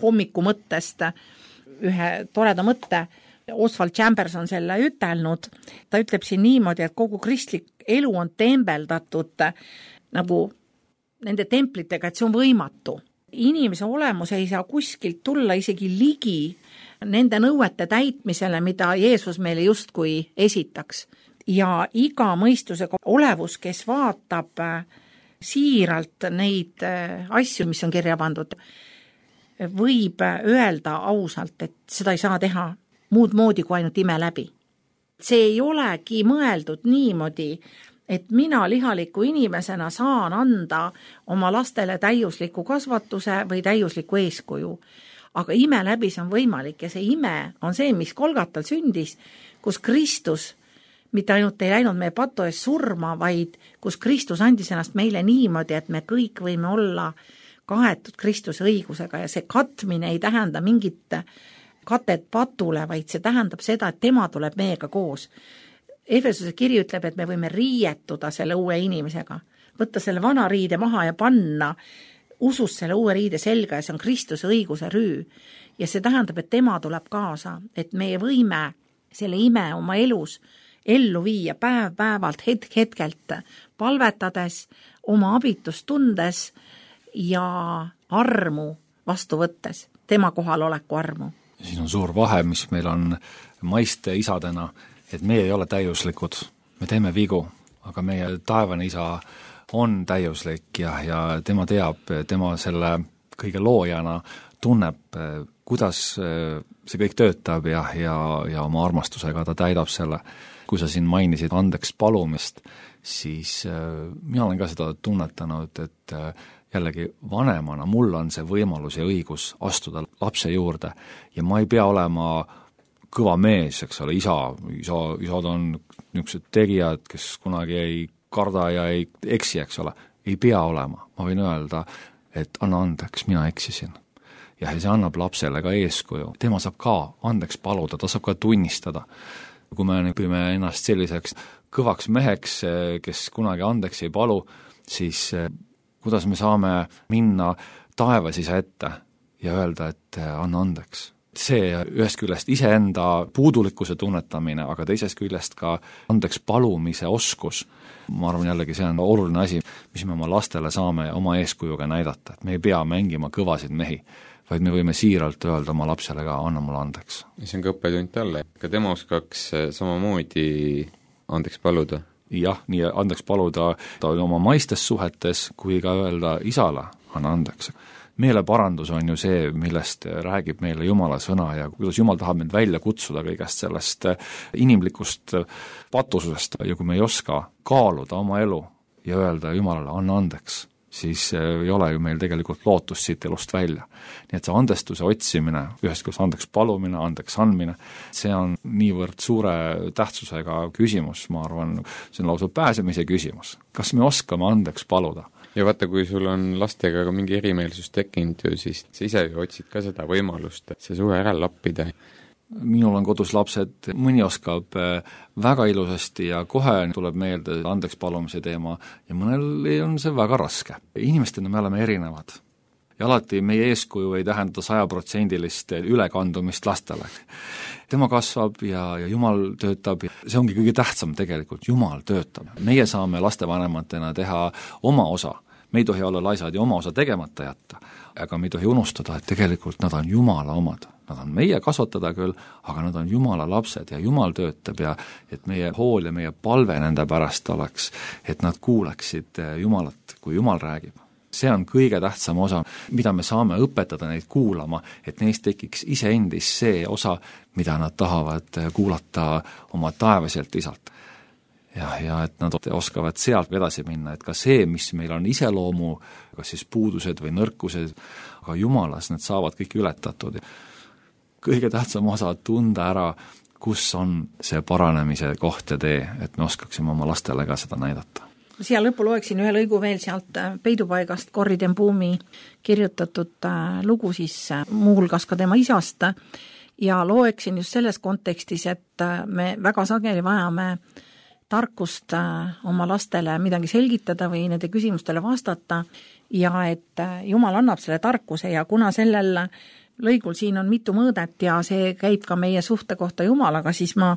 hommikumõttest ühe toreda mõtte, Oswald Chambers on selle ütelnud, ta ütleb siin niimoodi, et kogu kristlik elu on tembeldatud nagu nende templitega, et see on võimatu. Inimese olemus ei saa kuskilt tulla isegi ligi nende nõuete täitmisele, mida Jeesus meile justkui esitaks. Ja iga mõistusega olevus, kes vaatab siiralt neid asju, mis on kirja pandud, võib öelda ausalt, et seda ei saa teha muud moodi kui ainult ime läbi. See ei olegi mõeldud niimoodi, et mina lihaliku inimesena saan anda oma lastele täiusliku kasvatuse või täiusliku eeskuju. Aga ime läbi see on võimalik ja see ime on see, mis Kolgatal sündis, kus Kristus mitte ainult ei läinud meie patu ees surma, vaid kus Kristus andis ennast meile niimoodi, et me kõik võime olla kaetud Kristuse õigusega ja see katmine ei tähenda mingit katet patule, vaid see tähendab seda, et tema tuleb meiega koos. Efesuse kiri ütleb, et me võime riietuda selle uue inimesega, võtta selle vana riide maha ja panna usus selle uue riide selga ja see on Kristuse õiguse rüü. Ja see tähendab, et tema tuleb kaasa, et meie võime selle ime oma elus ellu viia päev päevalt, hetk hetkelt, palvetades, oma abitust tundes ja armu vastu võttes, tema kohaloleku armu. Siin on suur vahe, mis meil on maiste isadena, et meie ei ole täiuslikud, me teeme vigu, aga meie taevane isa on täiuslik ja, ja tema teab, tema selle kõige loojana tunneb, kuidas see kõik töötab ja, ja, ja oma armastusega ta täidab selle. Kui sa siin mainisid andeks palumist, siis mina olen ka seda tunnetanud, et jällegi vanemana mul on see võimalus ja õigus astuda lapse juurde ja ma ei pea olema kõva mees, eks ole, isa, isa, isad on niisugused tegijad, kes kunagi ei karda ja ei eksi, eks ole, ei pea olema. Ma võin öelda, et anna andeks, mina eksisin. Ja see annab lapsele ka eeskuju. Tema saab ka andeks paluda, ta saab ka tunnistada. Kui me õpime ennast selliseks kõvaks meheks, kes kunagi andeks ei palu, siis kuidas me saame minna taevas isa ette ja öelda, et anna andeks. see ühest küljest iseenda puudulikkuse tunnetamine, aga teisest küljest ka andeks palumise oskus, ma arvan jällegi, see on oluline asi, mis me oma lastele saame oma eeskujuga näidata, et me ei pea mängima kõvasid mehi, vaid me võime siiralt öelda oma lapsele ka, anna mulle andeks. See on ka õppetund talle, ka tema oskaks samamoodi andeks paluda. Jah, nii andeks paluda ta oma maistes suhetes, kui ka öelda isale, anna andeks. Meeleparandus on ju see, millest räägib meile Jumala sõna ja kuidas Jumal tahab meid välja kutsuda kõigest sellest inimlikust patususest ja kui me ei oska kaaluda oma elu ja öelda Jumalale, anna andeks, siis ei ole ju meil tegelikult lootust siit elust välja. Nii et see andestuse otsimine, ühest küljest andeks palumine, andeks andmine, see on niivõrd suure tähtsusega küsimus, ma arvan, see on lausa pääsemise küsimus. Kas me oskame andeks paluda? Ja vaata, kui sul on lastega ka mingi erimeelsus tekkinud ju, siis sa ise otsid ka seda võimalust, et see suhe ära lappida. Minul on kodus lapsed, mõni oskab väga ilusasti ja kohe tuleb meelde andeks palumise teema ja mõnel on see väga raske. Inimestena me oleme erinevad ja alati meie eeskuju ei tähenda sajaprotsendilist ülekandumist lastele. Tema kasvab ja, ja Jumal töötab ja see ongi kõige tähtsam tegelikult, Jumal töötab. Meie saame lastevanematena teha oma osa. Me ei tohi olla laisad ja oma osa tegemata jätta, aga me ei tohi unustada, et tegelikult nad on Jumala omad. Nad on meie kasvatada küll, aga nad on Jumala lapsed ja Jumal töötab ja et meie hool ja meie palve nende pärast oleks, et nad kuuleksid Jumalat, kui Jumal räägib. See on kõige tähtsam osa, mida me saame õpetada neid kuulama, et neist tekiks iseendis see osa, mida nad tahavad kuulata oma taevaselt isalt. Ja, ja et nad oskavad sealt edasi minna, et ka see, mis meil on iseloomu, kas siis puudused või nõrkused, aga Jumalas need saavad kõik ületatud. Kõige tähtsam osa tunda ära, kus on see paranemise koht ja tee, et me oskaksime oma lastele ka seda näidata. Siia lõppu loeksin ühe lõigu veel sealt Peidupaigast Corrie ten Boom'i kirjutatud lugu siis muuhulgas ka tema isast ja loeksin just selles kontekstis, et me väga sageli vajame tarkust oma lastele midagi selgitada või nende küsimustele vastata ja et Jumal annab selle tarkuse ja kuna sellel lõigul siin on mitu mõõdet ja see käib ka meie suhte kohta Jumalaga, siis ma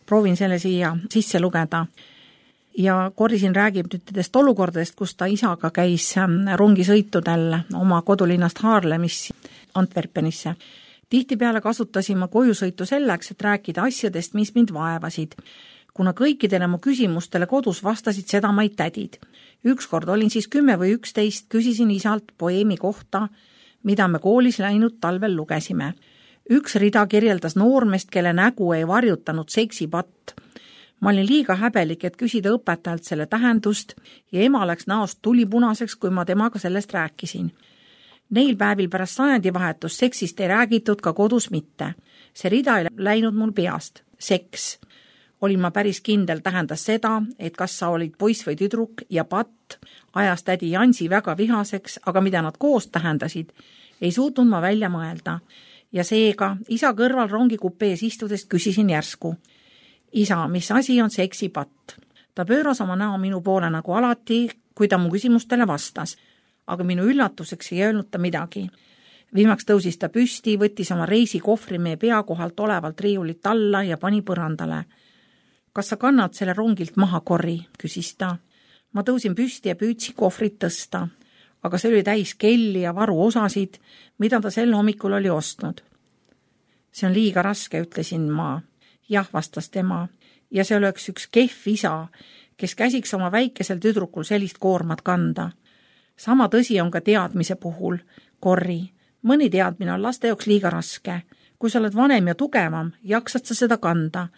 proovin selle siia sisse lugeda. Ja Corrie siin räägib nüüd nendest olukordadest, kus ta isaga käis rongisõitudel oma kodulinnast Haarlemis Antwerpenisse. Tihtipeale kasutasin ma kojusõitu selleks, et rääkida asjadest, mis mind vaevasid. Kuna kõikidele mu küsimustele kodus vastasid sedamaid tädid. Ükskord olin siis kümme või üksteist, küsisin isalt poeemi kohta, mida me koolis läinud talvel lugesime. Üks rida kirjeldas noormest, kelle nägu ei varjutanud seksipatt. Ma olin liiga häbelik, et küsida õpetajalt selle tähendust ja ema läks näost tulipunaseks, kui ma temaga sellest rääkisin. Neil päevil pärast sajandivahetust seksist ei räägitud ka kodus mitte. See rida ei läinud mul peast. Seks. Olin ma päris kindel tähendas seda, et kas sa olid poiss või tüdruk ja patt ajas tädi Jansi väga vihaseks, aga mida nad koos tähendasid, ei suutnud ma välja mõelda. Ja seega isa kõrval rongikupees istudes küsisin järsku. Isa, mis asi on seksipatt? Ta pööras oma näo minu poole nagu alati, kui ta mu küsimustele vastas, aga minu üllatuseks ei öelnud ta midagi. Viimaks tõusis ta püsti, võttis oma reisikohvri meie pea kohalt olevalt riiulit alla ja pani põrandale. Kas sa kannad selle rongilt maha, Corrie, küsis ta. Ma tõusin püsti ja püüdsin kohvrit tõsta, aga see oli täis kelli ja varu osasid, mida ta sel hommikul oli ostnud. See on liiga raske, ütlesin ma. Jah, vastas tema, ja see oleks üks kehv isa, kes käsiks oma väikesel tüdrukul sellist koormat kanda. Sama tõsi on ka teadmise puhul, Corrie. Mõni teadmine on laste jaoks liiga raske. Kui sa oled vanem ja tugevam, jaksad sa seda kanda.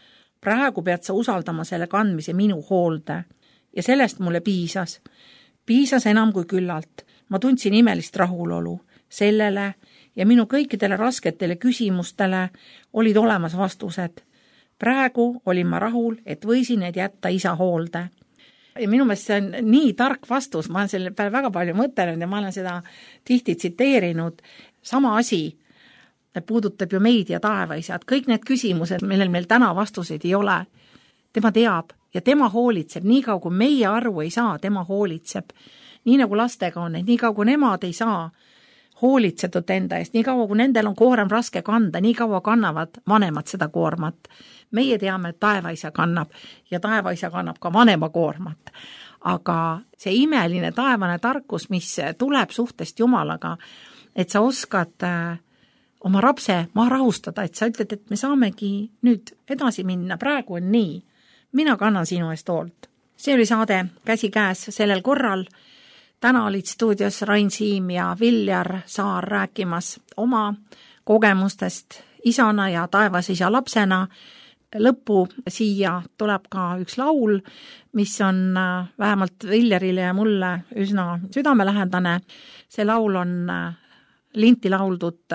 Praegu pead sa usaldama selle kandmise minu hoolde. Ja sellest mulle piisas. Piisas enam kui küllalt. Ma tundsin imelist rahulolu. Sellele ja minu kõikidele rasketele küsimustele olid olemas vastused. Praegu olin ma rahul, et võisin need jätta isa hoolde. Ja minu meelest see on nii tark vastus, ma olen selle peale väga palju mõtelnud ja ma olen seda tihti tsiteerinud. Sama asi puudutab ju meid ja taevaisad. Kõik need küsimused, millel meil täna vastuseid ei ole, tema teab ja tema hoolitseb. Nii kaua, kui meie aru ei saa, tema hoolitseb. Nii nagu lastega on, et nii kaua, kui nemad ei saa hoolitsetud enda eest, nii kaua kui nendel on koorem raske kanda, nii kaua kannavad vanemad seda koormat. Meie teame, et taevaisa kannab ja taevaisa kannab ka vanema koormat. Aga see imeline taevane tarkus, mis tuleb suhtest Jumalaga, et sa oskad oma rapse maha rahustada, et sa ütled, et me saamegi nüüd edasi minna, praegu on nii, mina kannan sinu eest hoolt. See oli saade Käsikäes sellel korral. Täna olid stuudios Rain Siim ja Viljar Saar rääkimas oma kogemustest isana ja taevasisa lapsena. Lõppu siia tuleb ka üks laul, mis on vähemalt Viljarile ja mulle üsna südamelähedane. See laul on linti lauldud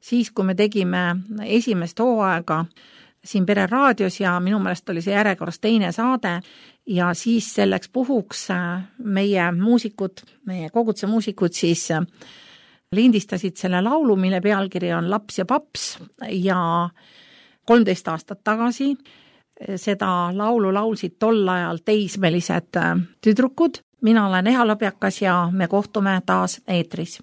siis, kui me tegime esimest hooaega siin Pere raadios ja minu meelest oli see järjekorras teine saade ja siis selleks puhuks meie muusikud, meie koguduse muusikud siis lindistasid selle laulu, mille pealkiri on Laps ja paps ja kolmteist aastat tagasi seda laulu laulsid tol ajal teismelised tüdrukud. Mina olen Eha Lõbjakas ja me kohtume taas eetris.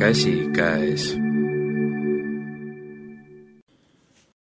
Käsikäes.